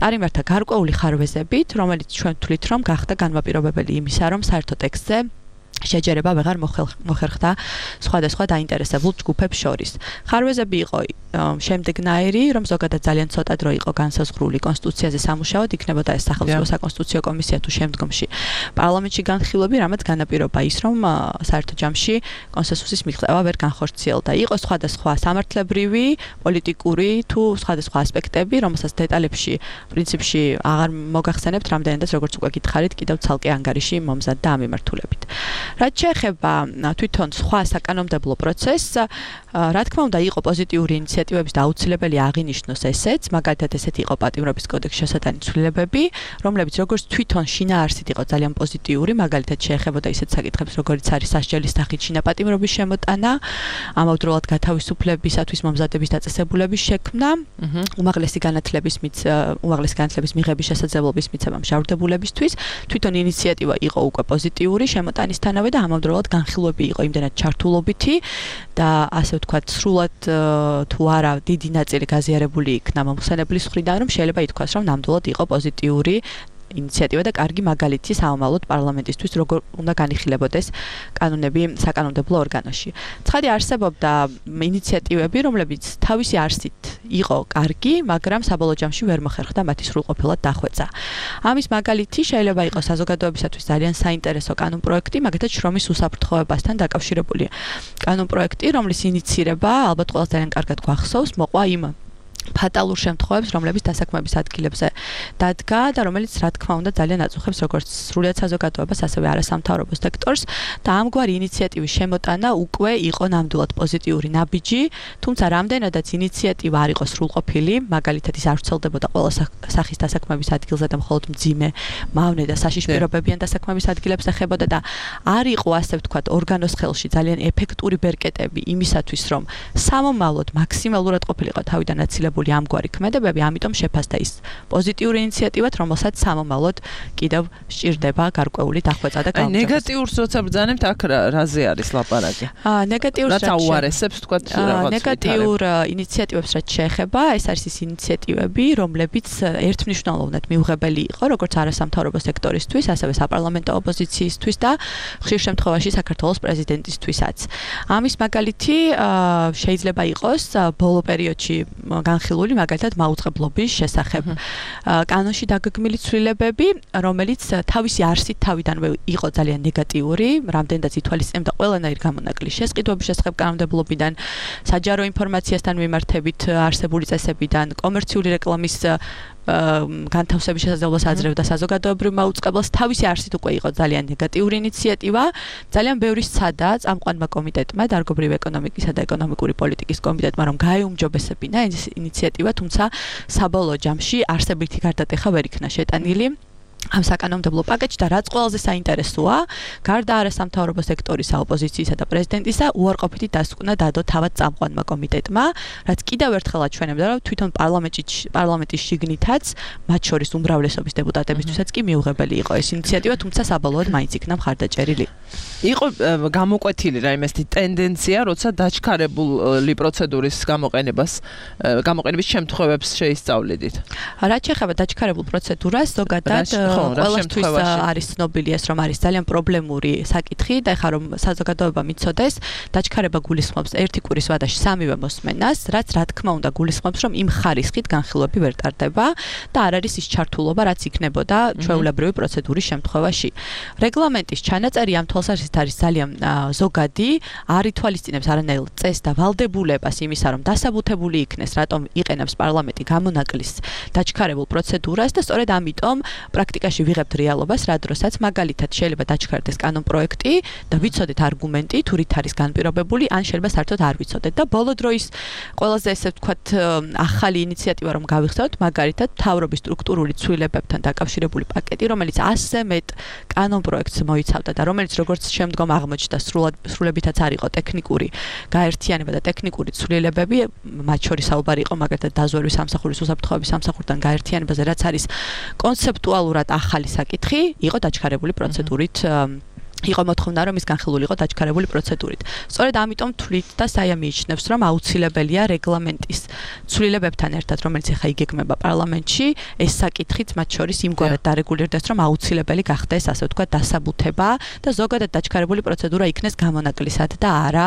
S10: წარიმართა გარკვეული ხარვეზებით, რომელიც ჩვენ ვთვლით, რომ გახდა განმაპირობებელი იმისა, რომ საერთო ტექსტზე შეჯერება ვეღარ მოხერხდა სხვადასხვა დაინტერესებულ ჯგუფებს შორის. ხარვეზები იყო შემდეგნაირი, რომ ზოგადად ძალიან ცოტა დრო იყო განსაზღვრული კონსტიტუციაზე სამუშაოდ, იქნებოდა ეს სახელმწიფო საკონსტიტუციო კომისია თუ შემდგომში პარლამენტში განხილვები, რამაც განაპირობა ის, რომ საერთო ჯამში კონსენსუსის მიღწევა ვერ განხორციელდა. იყო სხვადასხვა სამართლებრივი, პოლიტიკური თუ სხვადასხვა ასპექტები, რომელსაც დეტალებში პრინციპში აღარ მოგახსენებთ, რამდენადაც როგორც უკვე გითხარით, კიდევ ცალკე ანგარიში მომზადდა ამ მიმართულებით. რაც შეეხება თვითონ სხვა საკანონმდებლო პროცესს, რა თქმა უნდა, იყო პოზიტიური ინიციატივების და აუცილებელი აღინიშნოს ესეც, მაგალითად ესეთი იყო პატიმრობის კოდექსში შესატანი ცვლილებები, რომლებიც როგორც თვითონ შინაარსით იყო ძალიან პოზიტიური, მაგალითად შეეხებოდა ისეთ საკითხებს, როგორიც არის სასჯელის სახით შინაპატიმრობის შემოტანა, ამავდროულად გათავისუფლებისათვის მომზადების დაწესებულების შექმნა, უმაღლესი განათლების უმაღლესი განათლების მიღების შესაძლებლობის მიცემა მჟავრდებულებისთვის, თვითონ ინიციატივა იყო უკვე პოზიტიური შემოტანისთანავე და ამავდროულად განხილვები იყო იმდენად ჩართულობითი და ასე ვთქვათ, სრულად თუ არა დიდი ნაწილი გაზიარებული იქნა მომხსენებლის მხრიდან, რომ შეიძლება ითქვას, რომ ნამდვილად იყო პოზიტიური ინიციატივა და კარგი მაგალითი საომალოდ პარლამენტისთვის, როგორ უნდა განიხილებოდეს კანონები საკანონმდებლო ორგანოში. ცხადი არსებობდა ინიციატივები, რომლებიც თავისი არსით იყო კარგი, მაგრამ საბოლოო ჯამში ვერ მოხერხდა მათი სრულყოფილად დახვეწა. ამის მაგალითი შეიძლება იყოს საზოგადოებისათვის ძალიან საინტერესო კანონპროექტი, მაგალითად შრომის უსაფრთხოებასთან დაკავშირებული კანონპროექტი, რომლის ინიცირება ალბათ ყველას ძალიან კარგად გვახსოვს, მოყვა იმ ფატალურ შემთხვევებს, რომლებიც დასაქმების ადგილებზე დადგა და რომელიც რა თქმა უნდა ძალიან აწუხებს როგორც სრულად საზოგადოებას, ასევე არასამთავრობო სექტორს და ამგვარი ინიციატივის შემოტანა უკვე იყო ნამდვილად პოზიტიური ნაბიჯი, თუმცა რამდენადაც ინიციატივა არ იყო სრულყოფილი, მაგალითად ის არ ვრცელდებოდა ყველა სახის დასაქმების ადგილზე და მხოლოდ მძიმე, მავნე და საშიშპირობებიან დასაქმების ადგილებს ეხებოდა და არ იყო ასე ვთქვათ ორგანოს ხელში ძალიან ეფექტური ბერკეტები იმისათვის, რომ სამომავლოდ მაქსიმალურად ყოფილიყო თავიდან აცილებული განხორციელებული ამგვარი ქმედებები, ამიტომ შეფასდა ის პოზიტიური ინიციატივად, რომელსაც სამომავლოდ კიდევ სჭირდება გარკვეული დახვეწა და გაუმჯობესება.
S2: ნეგატიურს როცა ბრძანებთ, აქ რაზე არის ლაპარაკი?
S10: აა ნეგატიურს
S2: რაც აუარესებს თქვა რაღაც
S10: ნეგატიურ ინიციატივებს რაც შეეხება, ეს არის ის ინიციატივები, რომლებიც ერთმნიშვნელოვნად მიუღებელი იყო, როგორც არასამთავრობო სექტორისთვის, ასევე საპარლამენტო ოპოზიციისთვის და ხშირ შემთხვევაში საქართველოს პრეზიდენტისთვისაც. ამის მაგალითი შეიძლება იყოს ბოლო პერიოდში განხილული მაგალითად მაუწყებლობის შესახებ. კანონში დაგეგმილი ცვლილებები, რომელიც თავისი არსით თავიდანვე იყო ძალიან ნეგატიური, რამდენადაც ითვალისწინებდა ყველანაირ გამონაკლისს შესყიდვების შესახებ კანონმდებლობიდან, საჯარო ინფორმაციასთან მიმართებით არსებული წესებიდან, კომერციული რეკლამის განთავსების შესაძლებლობას აძლევდა საზოგადოებრივ მაუწყებლობას, თავისი არსით უკვე იყო ძალიან ნეგატიური ინიციატივა, ძალიან ბევრი სცადა წამყვანმა კომიტეტმა, დარგობრივი ეკონომიკისა და ეკონომიკური პოლიტიკის კომიტეტმა, რომ გაეუმჯობესებინა ეს ინიციატივა, თუმცა საბოლოო ჯამში არსებითი გარდატეხა ვერ იქნა შეტანილი ამ საკანონმდებლო პაკეტში და რაც ყველაზე საინტერესოა, გარდა არასამთავრობო სექტორისა, ოპოზიციისა და პრეზიდენტისა, უარყოფითი დასკვნა დადო თავად წამყვანმა კომიტეტმა, რაც კიდევ ერთხელ აჩვენებდა, რომ თვითონ პარლამენტში პარლამენტის შიგნითაც, მათ შორის უმრავლესობის დეპუტატებისთვისაც კი მიუღებელი იყო ეს ინიციატივა, თუმცა საბოლოოდ მაინც იქნა მხარდაჭერილი.
S2: იყო გამოკვეთილი რა იმასთი ტენდენცია, როცა დაჩქარებული პროცედურის გამოყენებას, გამოყენების შემთხვევებს შეისწავლიდით.
S10: რაც შეეხება დაჩქარებულ პროცედურას, ზოგადად ყველასთვის არის ცნობილი ეს, რომ არის ძალიან პრობლემური საკითხი და ეხლა რომ საზოგადოება მიცოდეს, დაჩქარება გულისხმობს ერთი კვირის ვადაში სამივე მოსმენას, რაც რა თქმა უნდა გულისხმობს, რომ იმ ხარისხით განხილვები ვერ ტარდება და არ არის ის ჩართულობა, რაც იქნებოდა ჩვეულებრივი პროცედურის შემთხვევაში. რეგლამენტის ჩანაწერი ამ თვალსაზრისით არის ძალიან ზოგადი, არ ითვალისწინებს არანაირ წესს და ვალდებულებას იმისა, რომ დასაბუთებული იქნეს, რატომ იყენებს პარლამენტი გამონაკლის დაჩქარებულ პროცედურას და სწორედ ამიტომ პრაქტიკაში ვიღებთ რეალობას, რა დროსაც მაგალითად შეიძლება დაჩქარდეს კანონპროექტი და ვიცოდეთ არგუმენტი, თუ რით არის განპირობებული, ან შეიძლება საერთოდ არ ვიცოდეთ და ბოლო დროის ყველაზე ესე ვთქვათ ახალი ინიციატივა რომ გავიხსენოთ, მაგალითად მთავრობის სტრუქტურული ცვლილებებთან დაკავშირებული პაკეტი, რომელიც ასზე მეტ კანონპროექტს მოიცავდა და რომელიც როგორც შემდგომ აღმოჩნდა სრულებითაც არ იყო ტექნიკური გაერთიანება და ტექნიკური ცვლილებები, მათ შორის საუბარი იყო მაგალითად დაზვერვის სამსახურის უსაფრთხოების სამსახურთან გაერთიანებაზე, რაც არის კონცეპტუალურად ახალი საკითხი, იყო დაჩქარებული პროცედურით იყო მოთხოვნა, რომ ის განხილული იყო დაჩქარებული პროცედურით. სწორედ ამიტომ თვლით და საია მიიჩნევს, რომ აუცილებელია რეგლამენტის ცვლილებებთან ერთად, რომელიც ახლა იგეგმება პარლამენტში, ეს საკითხიც მათ შორის იმგვარად დარეგულირდეს, რომ აუცილებელი გახდეს, ასე ვთქვათ, დასაბუთება და ზოგადად დაჩქარებული პროცედურა იქნეს გამონაკლისად და არა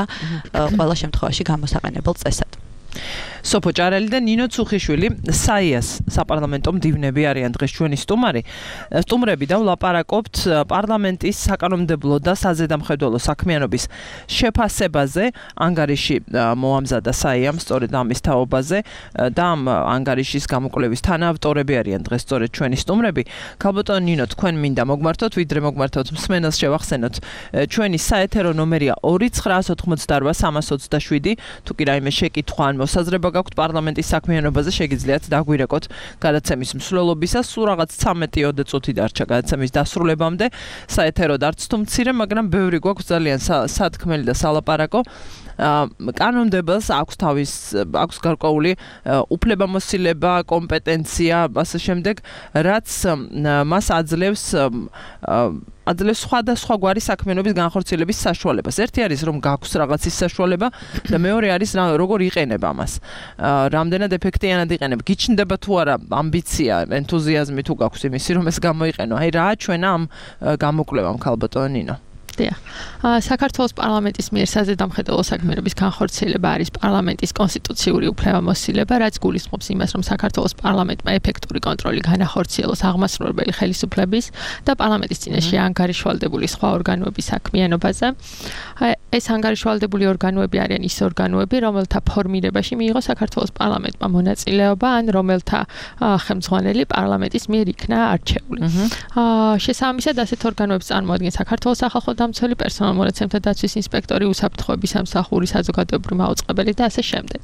S10: ყველა შემთხვევაში გამოსაყენებელ წესად. სოფო ჭარელი და ნინო ცუხიშვილი საიას საპარლამენტო მდივნები არიან დღეს ჩვენი სტუმარი. სტუმრები და ვლაპარაკობთ პარლამენტის საკანონმდებლო და საზედამხედველო საქმიანობის შეფასებაზე. ანგარიში მოამზადა საიამ სწორედ ამის თაობაზე და ამ ანგარიშის გამოკვლევის თანაავტორები არიან დღეს სწორედ ჩვენი სტუმრები. ქალბატონო ნინო, თქვენ მინდა მოგმართოთ, ვიდრე მოგმართოთ მსმენელს შევახსენოთ. ჩვენი საეთერო ნომერია ორი ცხრა ოთხმოცდარბა სამას ოცდაშვიდი. თუ კი რაიმე შეკითხვა ან მოსაზრება გაქვთ პარლამენტის საქმიანობაზე, შეგიძლიათ დაგვირეკოთ გადაცემის მსვლელობისას. სულ რაღაც ცამეტი ოცდაათი წუთი დარჩა გადაცემის დასრულებამდე. საეთეროდ არც თუ მცირე, მაგრამ ბევრი გვაქვს ძალიან სათქმელი და სალაპარაკო. კანონმდებელს აქვს თავის აქვს გარკვეული უფლებამოსილება, კომპეტენცია, ასე შემდეგ, რაც მას აძლევს აძლევს სხვადასხვა გვარი საქმიანობის განხორციელების საშუალებას. ერთი არის რომ გაქვს რაღაცის საშუალება და მეორე არის როგორ იყენებ ამას. რამდენად ეფექტიანად იყენებ. გიჩნდება თუ არა ამბიცია, ენთუზიაზმი თუ გაქვს იმისი რომ ეს გამოიყენო. აი რა ჩვენა ამ გამოკვლევამ ქალბატონო ნინო.
S4: დიახ. საქართველოს პარლამენტის მიერ საზედამხედველო საქმიანობის განხორციელება არის პარლამენტის კონსტიტუციური უფლებამოსილება, რაც გულისხმობს იმას, რომ საქართველოს პარლამენტმა ეფექტური კონტროლი განახორციელოს აღმასრულებელი ხელისუფლების და პარლამენტის წინაშე ანგარიშვალდებული სხვა ორგანოების საქმიანობაზე. ეს ანგარიშვალდებული ორგანოები არიან ის ორგანოები, რომელთა ფორმირებაში მიიღო საქართველოს პარლამენტმა მონაწილეობა, ან რომელთა ხელმძღვანელი პარლამენტის მიერ იქნა არჩეული. შესაბამისად, ასეთ ორგანოებს წარმოადგენს საქართველოს სახალხო დამცველი, პერსონალ მონაცემთა დაცვის ინსპექტორი, უსაფრთხოების სამსახური, საზოგადოებრივი მაუწყებელი და ასე შემდეგ.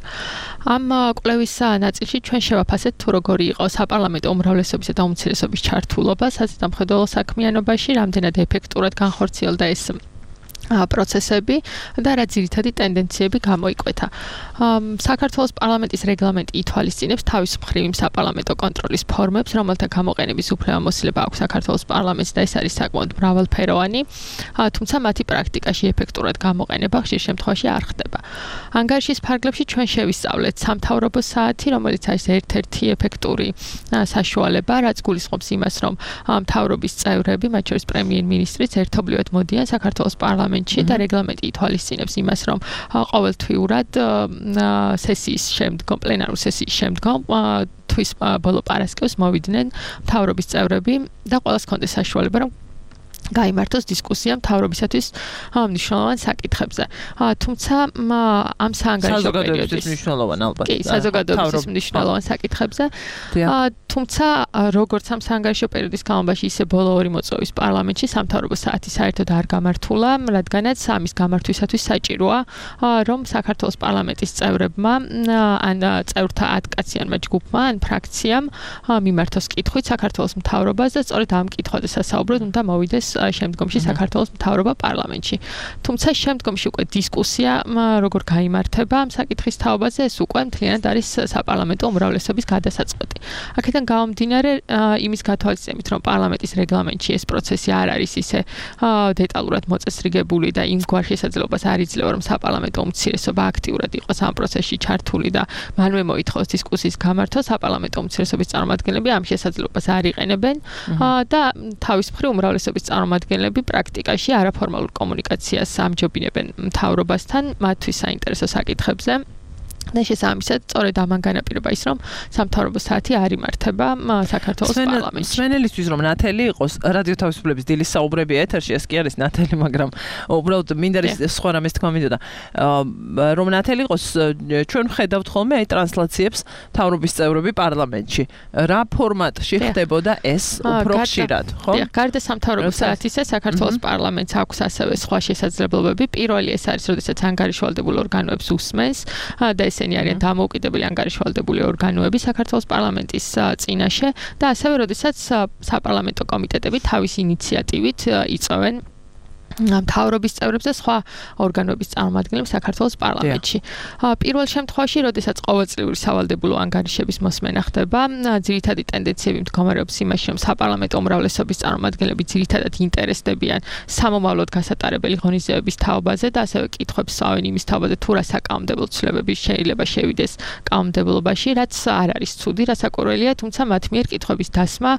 S4: ამ კვლევის ნაწილში ჩვენ შევაფასეთ თუ როგორი იყო საპარლამენტო უმრავლესობისა და უმცირესობის ჩართულობა საზედამხედველო საქმიანობაში, რამდენად ეფექტურად განხორციელდა ეს პროცესები და რა ძირითადი ტენდენციები გამოიკვეთა. საქართველოს პარლამენტის რეგლამენტი ითვალისწინებს თავის მხრივ იმ საპარლამენტო კონტროლის ფორმებს, რომელთა გამოყენების უფლება მოსილება აქვს საქართველოს პარლამენტს და ეს არის საკმაოდ მრავალფეროვანი, თუმცა მათი პრაქტიკაში ეფექტურად გამოყენება ხშირ შემთხვევაში არ ხდება. ანგარიშის ფარგლებში ჩვენ შევისწავლეთ სამთავრობო საათი, რომელიც არის ერთ-ერთი ეფექტური საშუალება, რაც გულისხმობს იმას, რომ მთავრობის წევრები, მათ შორის პრემიერ-მინისტრიც ერთობლივად მოდიან საქართველოს პარლამენტში და რეგლამენტი ითვალისწინებს იმას, რომ ყოველთვიურად სესიის შემდგომ, პლენარულ სესიის შემდგომ თვის ბოლო პარასკევს მოვიდნენ მთავრობის წევრები და ყველას ჰქონდეს საშუალება, რომ გაიმართოს დისკუსია მთავრობისათვის მნიშვნელოვან საკითხებზე. თუმცა ამ საანგარიშო პერიოდის
S2: მნიშვნელოვან ალბათ.
S4: კი, საზოგადოების მნიშვნელოვან საკითხებზე. თუმცა როგორც ამ საანგარიშო პერიოდის განმავლობაში, ისე ბოლო ორი მოწვევის პარლამენტში სამთავრობო საათი საერთოდ არ გამართულა, რადგანაც ამის გამართვისათვის საჭიროა, რომ საქართველოს პარლამენტის წევრებმა ან წევრთა ათკაციანმა ჯგუფმა ან ფრაქციამ მიმართოს კითხვით საქართველოს მთავრობას და სწორედ ამ კითხვაზე სასაუბროდ უნდა მოვიდეს შემდგომში საქართველოს მთავრობა პარლამენტში. თუმცა შემდგომში უკვე დისკუსია როგორ გაიმართება ამ საკითხის თაობაზე, ეს უკვე მთლიანად არის საპარლამენტო უმრავლესობის გადასაწყვეტი. აქედან გამომდინარე, იმის გათვალისწინებით, რომ პარლამენტის რეგლამენტში ეს პროცესი არ არის ისე დეტალურად მოწესრიგებული და იმ გვარ შესაძლებლობას არ იძლევა, რომ საპარლამენტო უმცირესობა აქტიურად იყოს ამ პროცესში ჩართული და მანვე მოითხოვოს დისკუსიის გამართვა, საპარლამენტო უმცირესობის წარმომადგენლები ამ შესაძლებლობას არ იყენებენ და თავის მხრივ უმრავლესობის წარმომადგენლები პრაქტიკაში არაფორმალურ კომუნიკაციას ამჯობინებენ მთავრობასთან მათთვის საინტერესო საკითხებზე. და შესაბამისად, სწორედ ამან განაპირობა ის, რომ სამთავრობო საათი არ იმართება საქართველოს პარლამენტში.
S2: სვენელისთვის რომ ნათელი იყოს, რადიო თავისუფლების დილის საუბრები ეთერში, ეს კი არის ნათელი, მაგრამ უბრალოდ მინდა სხვა რამეს თქვა მინდოდა. რომ ნათელი იყოს, ჩვენ ვხედავთ ხოლმე აი ტრანსლაციებს მთავრობის წევრები პარლამენტში. რა ფორმატში ხდებოდა ეს უფრო ხშირად, ხო?
S4: გარდა სამთავრობო საათისა, საქართველოს პარლამენტს აქვს ასევე სხვა შესაძლებლობები. პირველი ეს არის, როდესაც ანგარიშვალდებულ ორგანოებს უსმენს და ესენი არიან დამოუკიდებელი ანგარიშვალდებული ორგანოები საქართველოს პარლამენტის წინაშე და ასევე როდესაც საპარლამენტო კომიტეტები თავის ინიციატივით იწვევენ მთავრობის წევრებს და სხვა ორგანოების წარმომადგენლებს საქართველოს პარლამენტში. პირველ შემთხვევაში, როდესაც ყოველწლიური სავალდებულო ანგარიშების მოსმენა ხდება, ძირითადი ტენდენციები მდგომარეობს იმაში, რომ საპარლამენტო უმრავლესობის წარმომადგენლები ძირითადად ინტერესდებიან სამომავლოდ გასატარებელი ღონისძიებების თაობაზე და ასევე კითხვებს სწავლენ იმის თაობაზე, თუ რა საკანონმდებლო ცვლილებები შეიძლება შევიდეს კანონმდებლობაში, რაც არ არის ცუდი, რასაკვირველია, თუმცა მათ მიერ კითხვების დასმა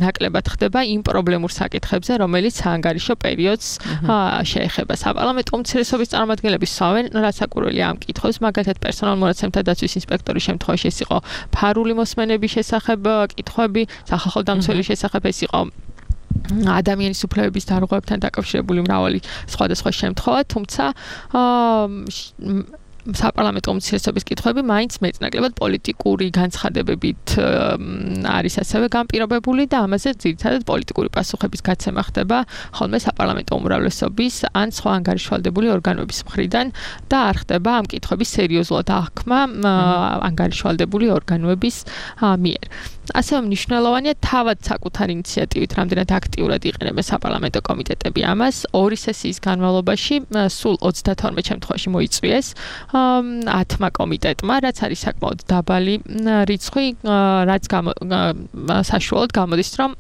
S4: ნაკლებად ხდება იმ პრობლემურ საკითხებზე, რომელიც საანგარიშო პერიოდს შეეხება. საპარლამენტო უმცირესობის წარმომადგენლები სწავლენ რასაკვირველია ამ კითხვებს, მაგალითად პერსონალურ მონაცემთა დაცვის ინსპექტორის შემთხვევაში ეს იყო ფარული მოსმენების შესახებ კითხვები, სახალხო დამცველის შესახებ ეს იყო ადამიანის უფლებების დარღვევებთან დაკავშირებული მრავალი სხვადასხვა შემთხვევა, თუმცა საპარლამენტო უმცირესობის კითხვები მაინც მეტნაკლებად პოლიტიკური განცხადებებით არის ასევე განპირობებული და ამაზე ძირითადად პოლიტიკური პასუხების გაცემა ხდება ხოლმე საპარლამენტო უმრავლესობის ან სხვა ანგარიშვალდებული ორგანოების მხრიდან და არ ხდება ამ კითხვების სერიოზულად აღქმა ანგარიშვალდებული ორგანოების მიერ. ასევე მნიშვნელოვანია თავად საკუთარ ინიციატივით რამდენად აქტიურად იყენებენ საპარლამენტო კომიტეტები ამას. ორი სესიის განმავლობაში სულ ოცდათორმეტ შემთხვევაში მოიწვიეს ათმა კომიტეტმა, რაც არის საკმაოდ დაბალი რიცხვი, რაც საშუალოდ გამოდის, რომ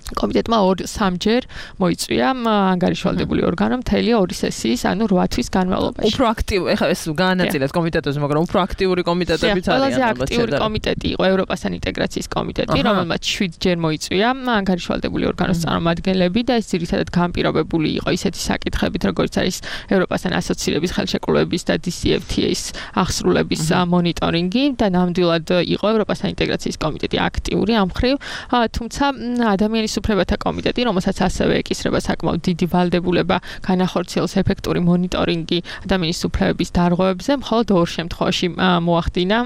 S4: კომიტეტმა ორ სამჯერ მოიწვია ანგარიშვალდებული ორგანო მთელი ორი სესიის, ანუ რვა თვის განმავლობაში.
S2: უფრო აქტიური, ეხლა ეს განაწილეთ კომიტეტებზე, მაგრამ უფრო აქტიური კომიტეტებიც არიან.
S4: ყველაზე აქტიური კომიტეტი იყო ევროპასთან ინტეგრაციის კომიტეტი, რომელმაც შვიდჯერ მოიწვია ანგარიშვალდებული ორგანოს წარმომადგენლები და ეს ძირითადად განპირობებული იყო ისეთი საკითხებით, როგორც არის ევროპასთან ასოცირების ხელშეკრულების და დი სი ეფ თი ეის აღსრულების მონიტორინგი და ნამდვილად იყო ევროპასთან ინტეგრაციის კომიტეტი აქტიური ამ მხრივ, თუმცა ადამიანის უფლებათა კომიტეტი, რომელსაც ასევე ეკისრება საკმაოდ დიდი ვალდებულება განახორციელოს ეფექტური მონიტორინგი ადამიანის უფლებების დარღვევებზე, მხოლოდ ორ შემთხვევაში მოახდინა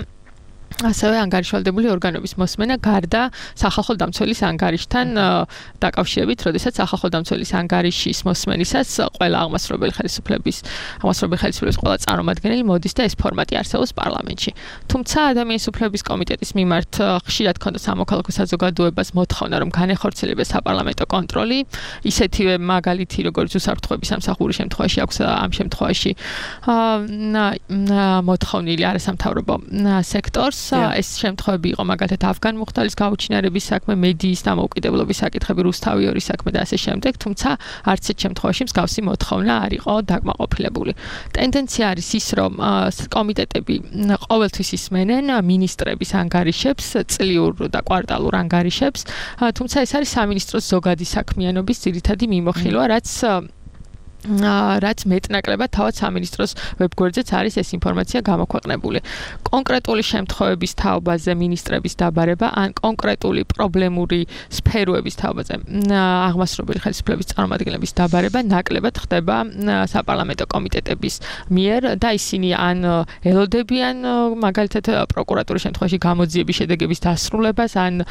S11: ასევე ანგარიშვალდებული ორგანოების მოსმენა გარდა სახალხო დამცველის ანგარიშთან დაკავშირებით, როდესაც სახალხო დამცველის ანგარიშის მოსმენისას ყველა აღმასრულებელი ხელისუფლების აღმასრულებელი ხელისუფლების ყველა წარმომადგენელი მოდის და ეს ფორმატი არსებობს პარლამენტში. თუმცა ადამიანის უფლებების კომიტეტის მიმართ ხშირად ქონდა სამოქალაქო საზოგადოებას მოთხოვნა, რომ განეხორციელოს საპარლამენტო კონტროლი, ისეთივე მაგალითი, როგორც უსაფრთხოების სამსახურის შემთხვევაში აქვს ამ შემთხვევაში მოთხოვნილი არასამთავრობო სექტორს. ეს შემთხვევები იყო მაგალითად ავგან მუხტალის გაუჩინარების საქმე, მედიის დამოუკიდებლობის საკითხები, რუსთავი ორის საქმე და ასე შემდეგ, თუმცა არც ერთ შემთხვევაში მსგავსი მოთხოვნა არ იყო დაკმაყოფილებული. ტენდენცია არის ის, რომ კომიტეტები ყოველთვის ისმენენ მინისტრების ანგარიშებს, წლიურ და კვარტალურ ანგარიშებს, თუმცა ეს არის სამინისტროს ზოგადი საქმიანობის ძირითადი მიმოხილვა, რაც რაც მეტნაკლებად თავად სამინისტროს ვებგვერდზეც არის ეს ინფორმაცია გამოქვეყნებული. კონკრეტული შემთხვევების თაობაზე მინისტრების დაბარება ან კონკრეტული პრობლემური სფეროების თაობაზე აღმასრულებელი ხელისუფლების წარმომადგენლების დაბარება ნაკლებად ხდება საპარლამენტო კომიტეტების მიერ და ისინი ან ელოდებიან მაგალითად პროკურატურის შემთხვევაში გამოძიების შედეგების დასრულებას ან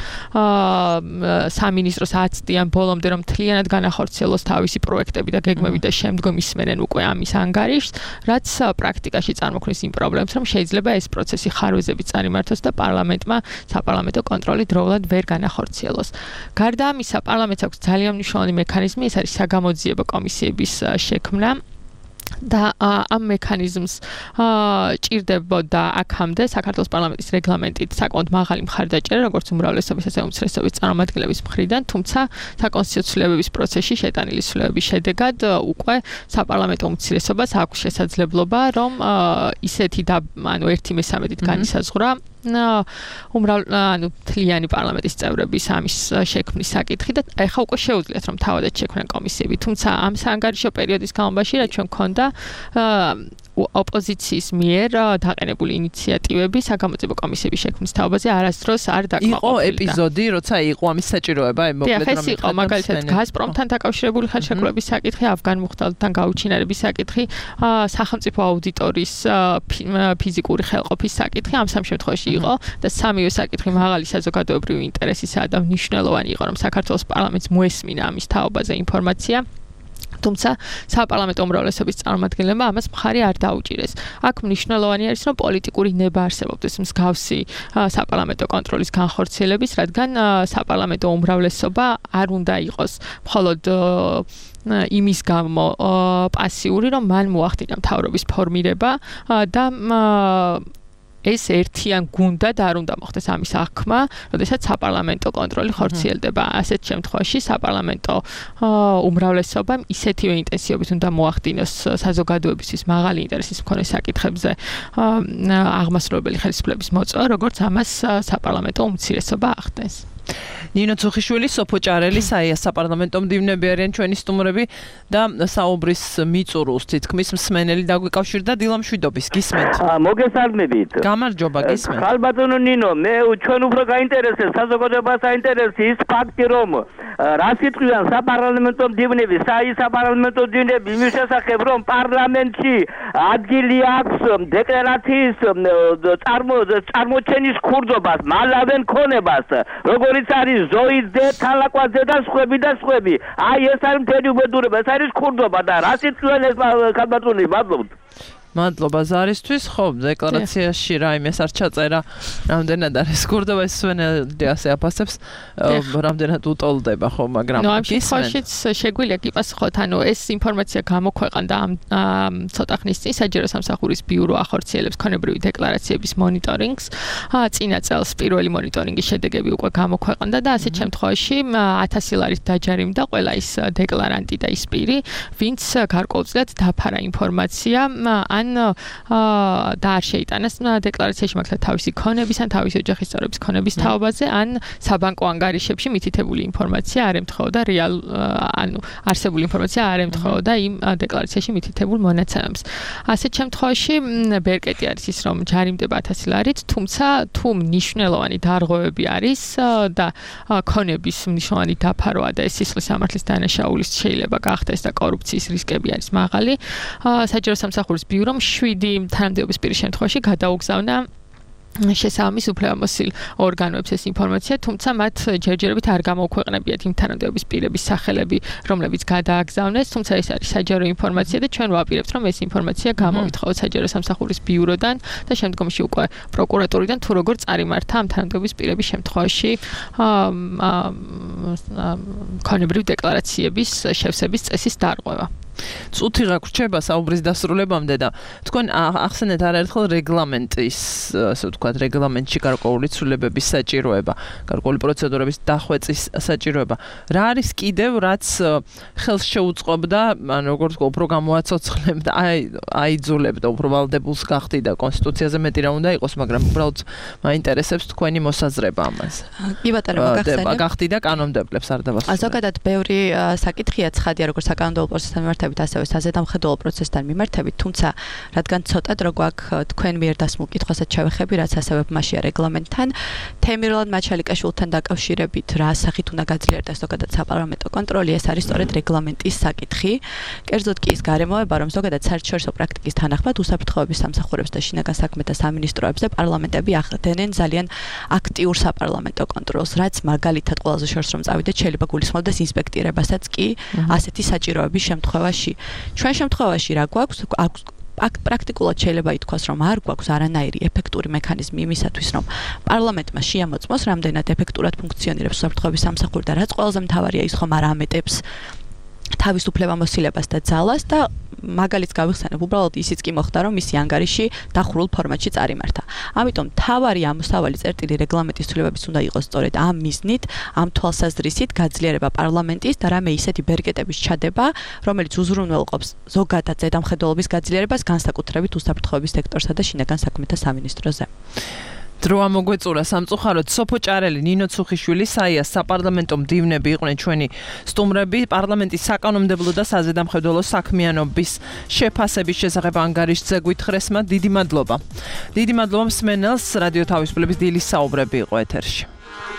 S11: სამინისტროს აცდიან ბოლომდე რომ მთლიანად განახორციელოს თავისი პროექტები და გეგმები და შემდგომ ისმენენ უკვე ამის ანგარიშს, რაც პრაქტიკაში წარმოქმნის იმ პრობლემებს, რომ შეიძლება ეს პროცესი ხარვეზებით წარიმართოს და პარლამენტმა საპარლამენტო კონტროლი დროულად ვერ განახორციელოს. გარდა ამისა, პარლამენტს აქვს ძალიან მნიშვნელოვანი მექანიზმი, ეს არის საგამოძიებო კომისიების შექმნა. და ამ მექანიზმს ჭირდებოდა აქამდე საქართველოს პარლამენტის რეგლამენტით საკმაოდ მაღალი მხარდაჭერა, როგორც უმრავლესობის, ასევე უმცირესობის წარმომადგენლების მხრიდან, თუმცა საკონსტიტუციო ცვლილებების პროცესში შეტანილი ცვლილებების შედეგად უკვე საპარლამენტო უმცირესობას აქვს შესაძლებლობა, რომ ისეთი და ანუ ერთი მესამედით განისაზღვრა უმრავ ანუ თლიანი პარლამენტის წევრების ამის შექმნის საკითხი და ეხლა უკვე შეუძლიათ რომ თავადაც შექმნან კომისიები, თუმცა ამ საანგარიშო პერიოდის განმავლობაში რაც ჩვენ გქონდა ოპოზიციის მიერ დაყენებული ინიციატივები საგამოძიებო კომისიების შექმნის თაობაზე არასდროს არ დაკმაყოფილდა.
S2: იყო ეპიზოდი, როცა იყო ამის საჭიროება, აი მოკლედ
S11: რომ იყო მაგალითად გაზპრომთან დაკავშირებული ხელშეკრულების საკითხი, ავგან მუხტალთან გაუჩინარების საკითხი, სახელმწიფო აუდიტორის ფიზიკური ხელყოფის საკითხი, ამ სამ შემთხვევაში იყო და სამივე საკითხი მაღალი საზოგადოებრივი ინტერესისაა და მნიშვნელოვანი იყო რომ საქართველოს პარლამენტს მოესმინა ამის თაობაზე ინფორმაცია. თუმცა საპარლამენტო უმრავლესობის წარმომადგენლებმა ამას მხარი არ დაუჭირეს. აქ მნიშვნელოვანი არის რომ პოლიტიკური ნება არსებობდეს მსგავსი საპარლამენტო კონტროლის განხორციელების, რადგან საპარლამენტო უმრავლესობა არ უნდა იყოს მხოლოდ იმის გამო პასიური, რომ მან მოახდინა მთავრობის ფორმირება და ეს ერთიან გუნდად არ უნდა მოხდეს ამის აღქმა, როდესაც საპარლამენტო კონტროლი ხორციელდება. ასეთ შემთხვევაში საპარლამენტო უმრავლესობამ ისეთივე ინტენსივობით უნდა მოახდინოს საზოგადოებისთვის მაღალი ინტერესის მქონე საკითხებზე აღმასრულებელი ხელისუფლების მოწვევა, როგორც ამას საპარლამენტო უმცირესობა ახდენს.
S2: ნინო ცუხიშვილი, სოფო ჭარელი, საია საპარლამენტო მდივნები არიან ჩვენი სტუმრები და საუბრის მიწურულს თითქმის მსმენელი დაგვიკავშირდა დილამშვიდობის. გისმენთ?
S12: მოგესალმებით.
S2: გამარჯობა, გისმენთ.
S12: ხალბატონო ნინო, მე ჩვენ უფრო გაინტერესებს საზოგადოებას აინტერესებს ის ფაქტი, რომ რას იტყვიან საპარლამენტო მდივნები, საი საპარლამენტო მდივნები იმის შესახებ, რომ პარლამენტში ადგილი აქვს დეკლარაციის წარმოჩენის ქურდობას, მალავენ ქონებას, როგორიც არის ზოის ძე, თალაკვაძე და სხვები და სხვები. აი ეს არის მთელი უბედურება, ეს არის ქურდობა და რას იტყვიან ეს ხალბატონი, მადლობთ.
S2: მადლობა ზარისთვის. ხო, დეკლარაციაში რაიმეს არ ჩაწერა, რამდენად არის ქურდობა, ეს სვენელი ასე აფასებს, რამდენად უტოლდება, ხო, მაგრამ
S11: ნუ ამ შემთხვევაშიც შეგვიძლია გიპასუხოთ, ანუ ეს ინფორმაცია გამოქვეყნდა ამ ცოტა ხნის წინ საჯარო სამსახურის ბიურო ახორციელებს ქონებრივი დეკლარაციების მონიტორინგს. წინა წელს პირველი მონიტორინგის შედეგები უკვე გამოქვეყნდა და ასეთ შემთხვევაში ათასი ლარით დაჯარიმდა ყველა ის დეკლარანტი და ის პირი, ვინც გარკვეულწილად დაფარა ინფორმაცია ან და არ შეიტანეს დეკლარაციაში მაგალითად თავისი ქონების ან თავისი ოჯახის წევრების ქონების თაობაზე ან საბანკო ანგარიშებში მითითებული ინფორმაცია არ ემთხვეოდა რეალ ანუ არსებული ინფორმაცია არ ემთხვეოდა იმ დეკლარაციაში მითითებულ მონაცემებს. ასეთ შემთხვევაში ბერკეტი არის ის რომ ჯარიმდება ათასი ლარით, თუმცა თუ მნიშვნელოვანი დარღვევები არის და ქონების მნიშვნელოვანი დაფარვა და ეს სისხლის სამართლის დანაშაულის შეიძლება გახდეს და კორუფციის რისკები არის მაღალი, საჯარო სამსახურის ბიურომ შვიდი თანამდებობის პირის შემთხვევაში გადაუგზავნა შესაბამის უფლებამოსილ ორგანოებს ეს ინფორმაცია, თუმცა მათ ჯერჯერობით არ გამოუქვეყნებიათ იმ თანამდებობის პირების სახელები, რომლებიც გადააგზავნეს, თუმცა ეს არის საჯარო ინფორმაცია და ჩვენ ვაპირებთ, რომ ეს ინფორმაცია გამოვითხოვოთ საჯარო სამსახურის ბიუროდან და შემდგომში უკვე პროკურატურიდან თუ როგორ წარიმართა ამ თანამდებობის პირების შემთხვევაში ქონებრივი დეკლარაციების შევსების წესის დარღვევა. წუთი გაგრჩება საუბრის დასრულებამდე და თქვენ ახსენეთ არაერთხელ რეგლამენტის, ასე ვთქვათ, რეგლამენტში გარკვეული ცვლილებების საჭიროება, გარკვეული პროცედურების დახვეწის საჭიროება. რა არის კიდევ, რაც ხელს შეუწყობდა, ან როგორც ვთქვი, უფრო გამოაცოცხლებდა, აი აიძულებდა უფრო ვალდებულს გახდი და კონსტიტუციაზე მეტი რა უნდა იყოს, მაგრამ უბრალოდ მაინტერესებს თქვენი მოსაზრება ამაზე.
S10: კი ბატონო, გახსენე.
S11: გახდი და კანონმდებლებს არ დავასრულებ.
S10: ზოგადად ბევრი საკითხია ცხადია, როგორც საკანონმდებლო პროცესთან მიმართებით, ასევე საზედამხედველო პროცესთან მიმართებით, თუმცა რადგან ცოტად რო გვაქვს თქვენ მიერ დასმულ კითხვასაც ჩავეხები, რაც ასევე მასია რეგლამენტთან, თემირლან მაჩალიკაშვილთან დაკავშირებით რა სახით უნდა გაძლიერდეს ზოგადად საპარლამენტო კონტროლი, ეს არის სწორედ რეგლამენტის საკითხი. კერძოდ კი ის გარემოება, რომ ზოგადად საერთაშორისო პრაქტიკის თანახმად უსაფრთხოების სამსახურებს და შინაგან საქმეთა სამინისტროებს და პარლამენტები ახდენენ ძალიან აქტიურ საპარლამენტო კონტროლს, რაც მაგალითად ყველაზე შორს რომ წავიდეთ, შეიძლება გულისხმობდეს ინსპექტირებასაც კი ასეთი საჭიროების შემთხვევაში. ჩვენ შემთხვევაში რა გვაქვს? პრაქტიკულად შეიძლება ითქვას, რომ არ გვაქვს არანაირი ეფექტური მექანიზმი იმისათვის, რომ პარლამენტმა შეამოწმოს, რამდენად ეფექტურად ფუნქციონირებს უსაფრთხოების სამსახური და რაც ყველაზე მთავარია ის ხომ არ ამეტებს თავის უფლებამოსილებას და ძალას და მაგალითს გავიხსენებ, უბრალოდ ისიც კი მოხდა, რომ მისი ანგარიში დახურულ ფორმატში წარიმართა. ამიტომ თავარი ამოსავალი წერტილი რეგლამენტის ცვლილებების უნდა იყოს სწორედ ამ მიზნით, ამ თვალსაზრისით გაძლიერება პარლამენტის და რამე ისეთი ბერკეტების ჩადება, რომელიც უზრუნველყოფს ზოგადად ზედამხედველობის გაძლიერებას, განსაკუთრებით უსაფრთხოების სექტორსა და შინაგან საქმეთა სამინისტროზე.
S2: დრო ამოგვეწურა სამწუხაროდ სოფო ჭარელი, ნინო ცუხიშვილი, საია საპარლამენტო მდივნები იყვნენ ჩვენი სტუმრები, პარლამენტის საკანონმდებლო და საზედამხედველო საქმიანობის შეფასების შესახებ ანგარიშზე გვითხრესმა დიდი მადლობა. დიდი მადლობა მსმენელს, რადიო თავისუფლების დილის საუბრები იყო ეთერში.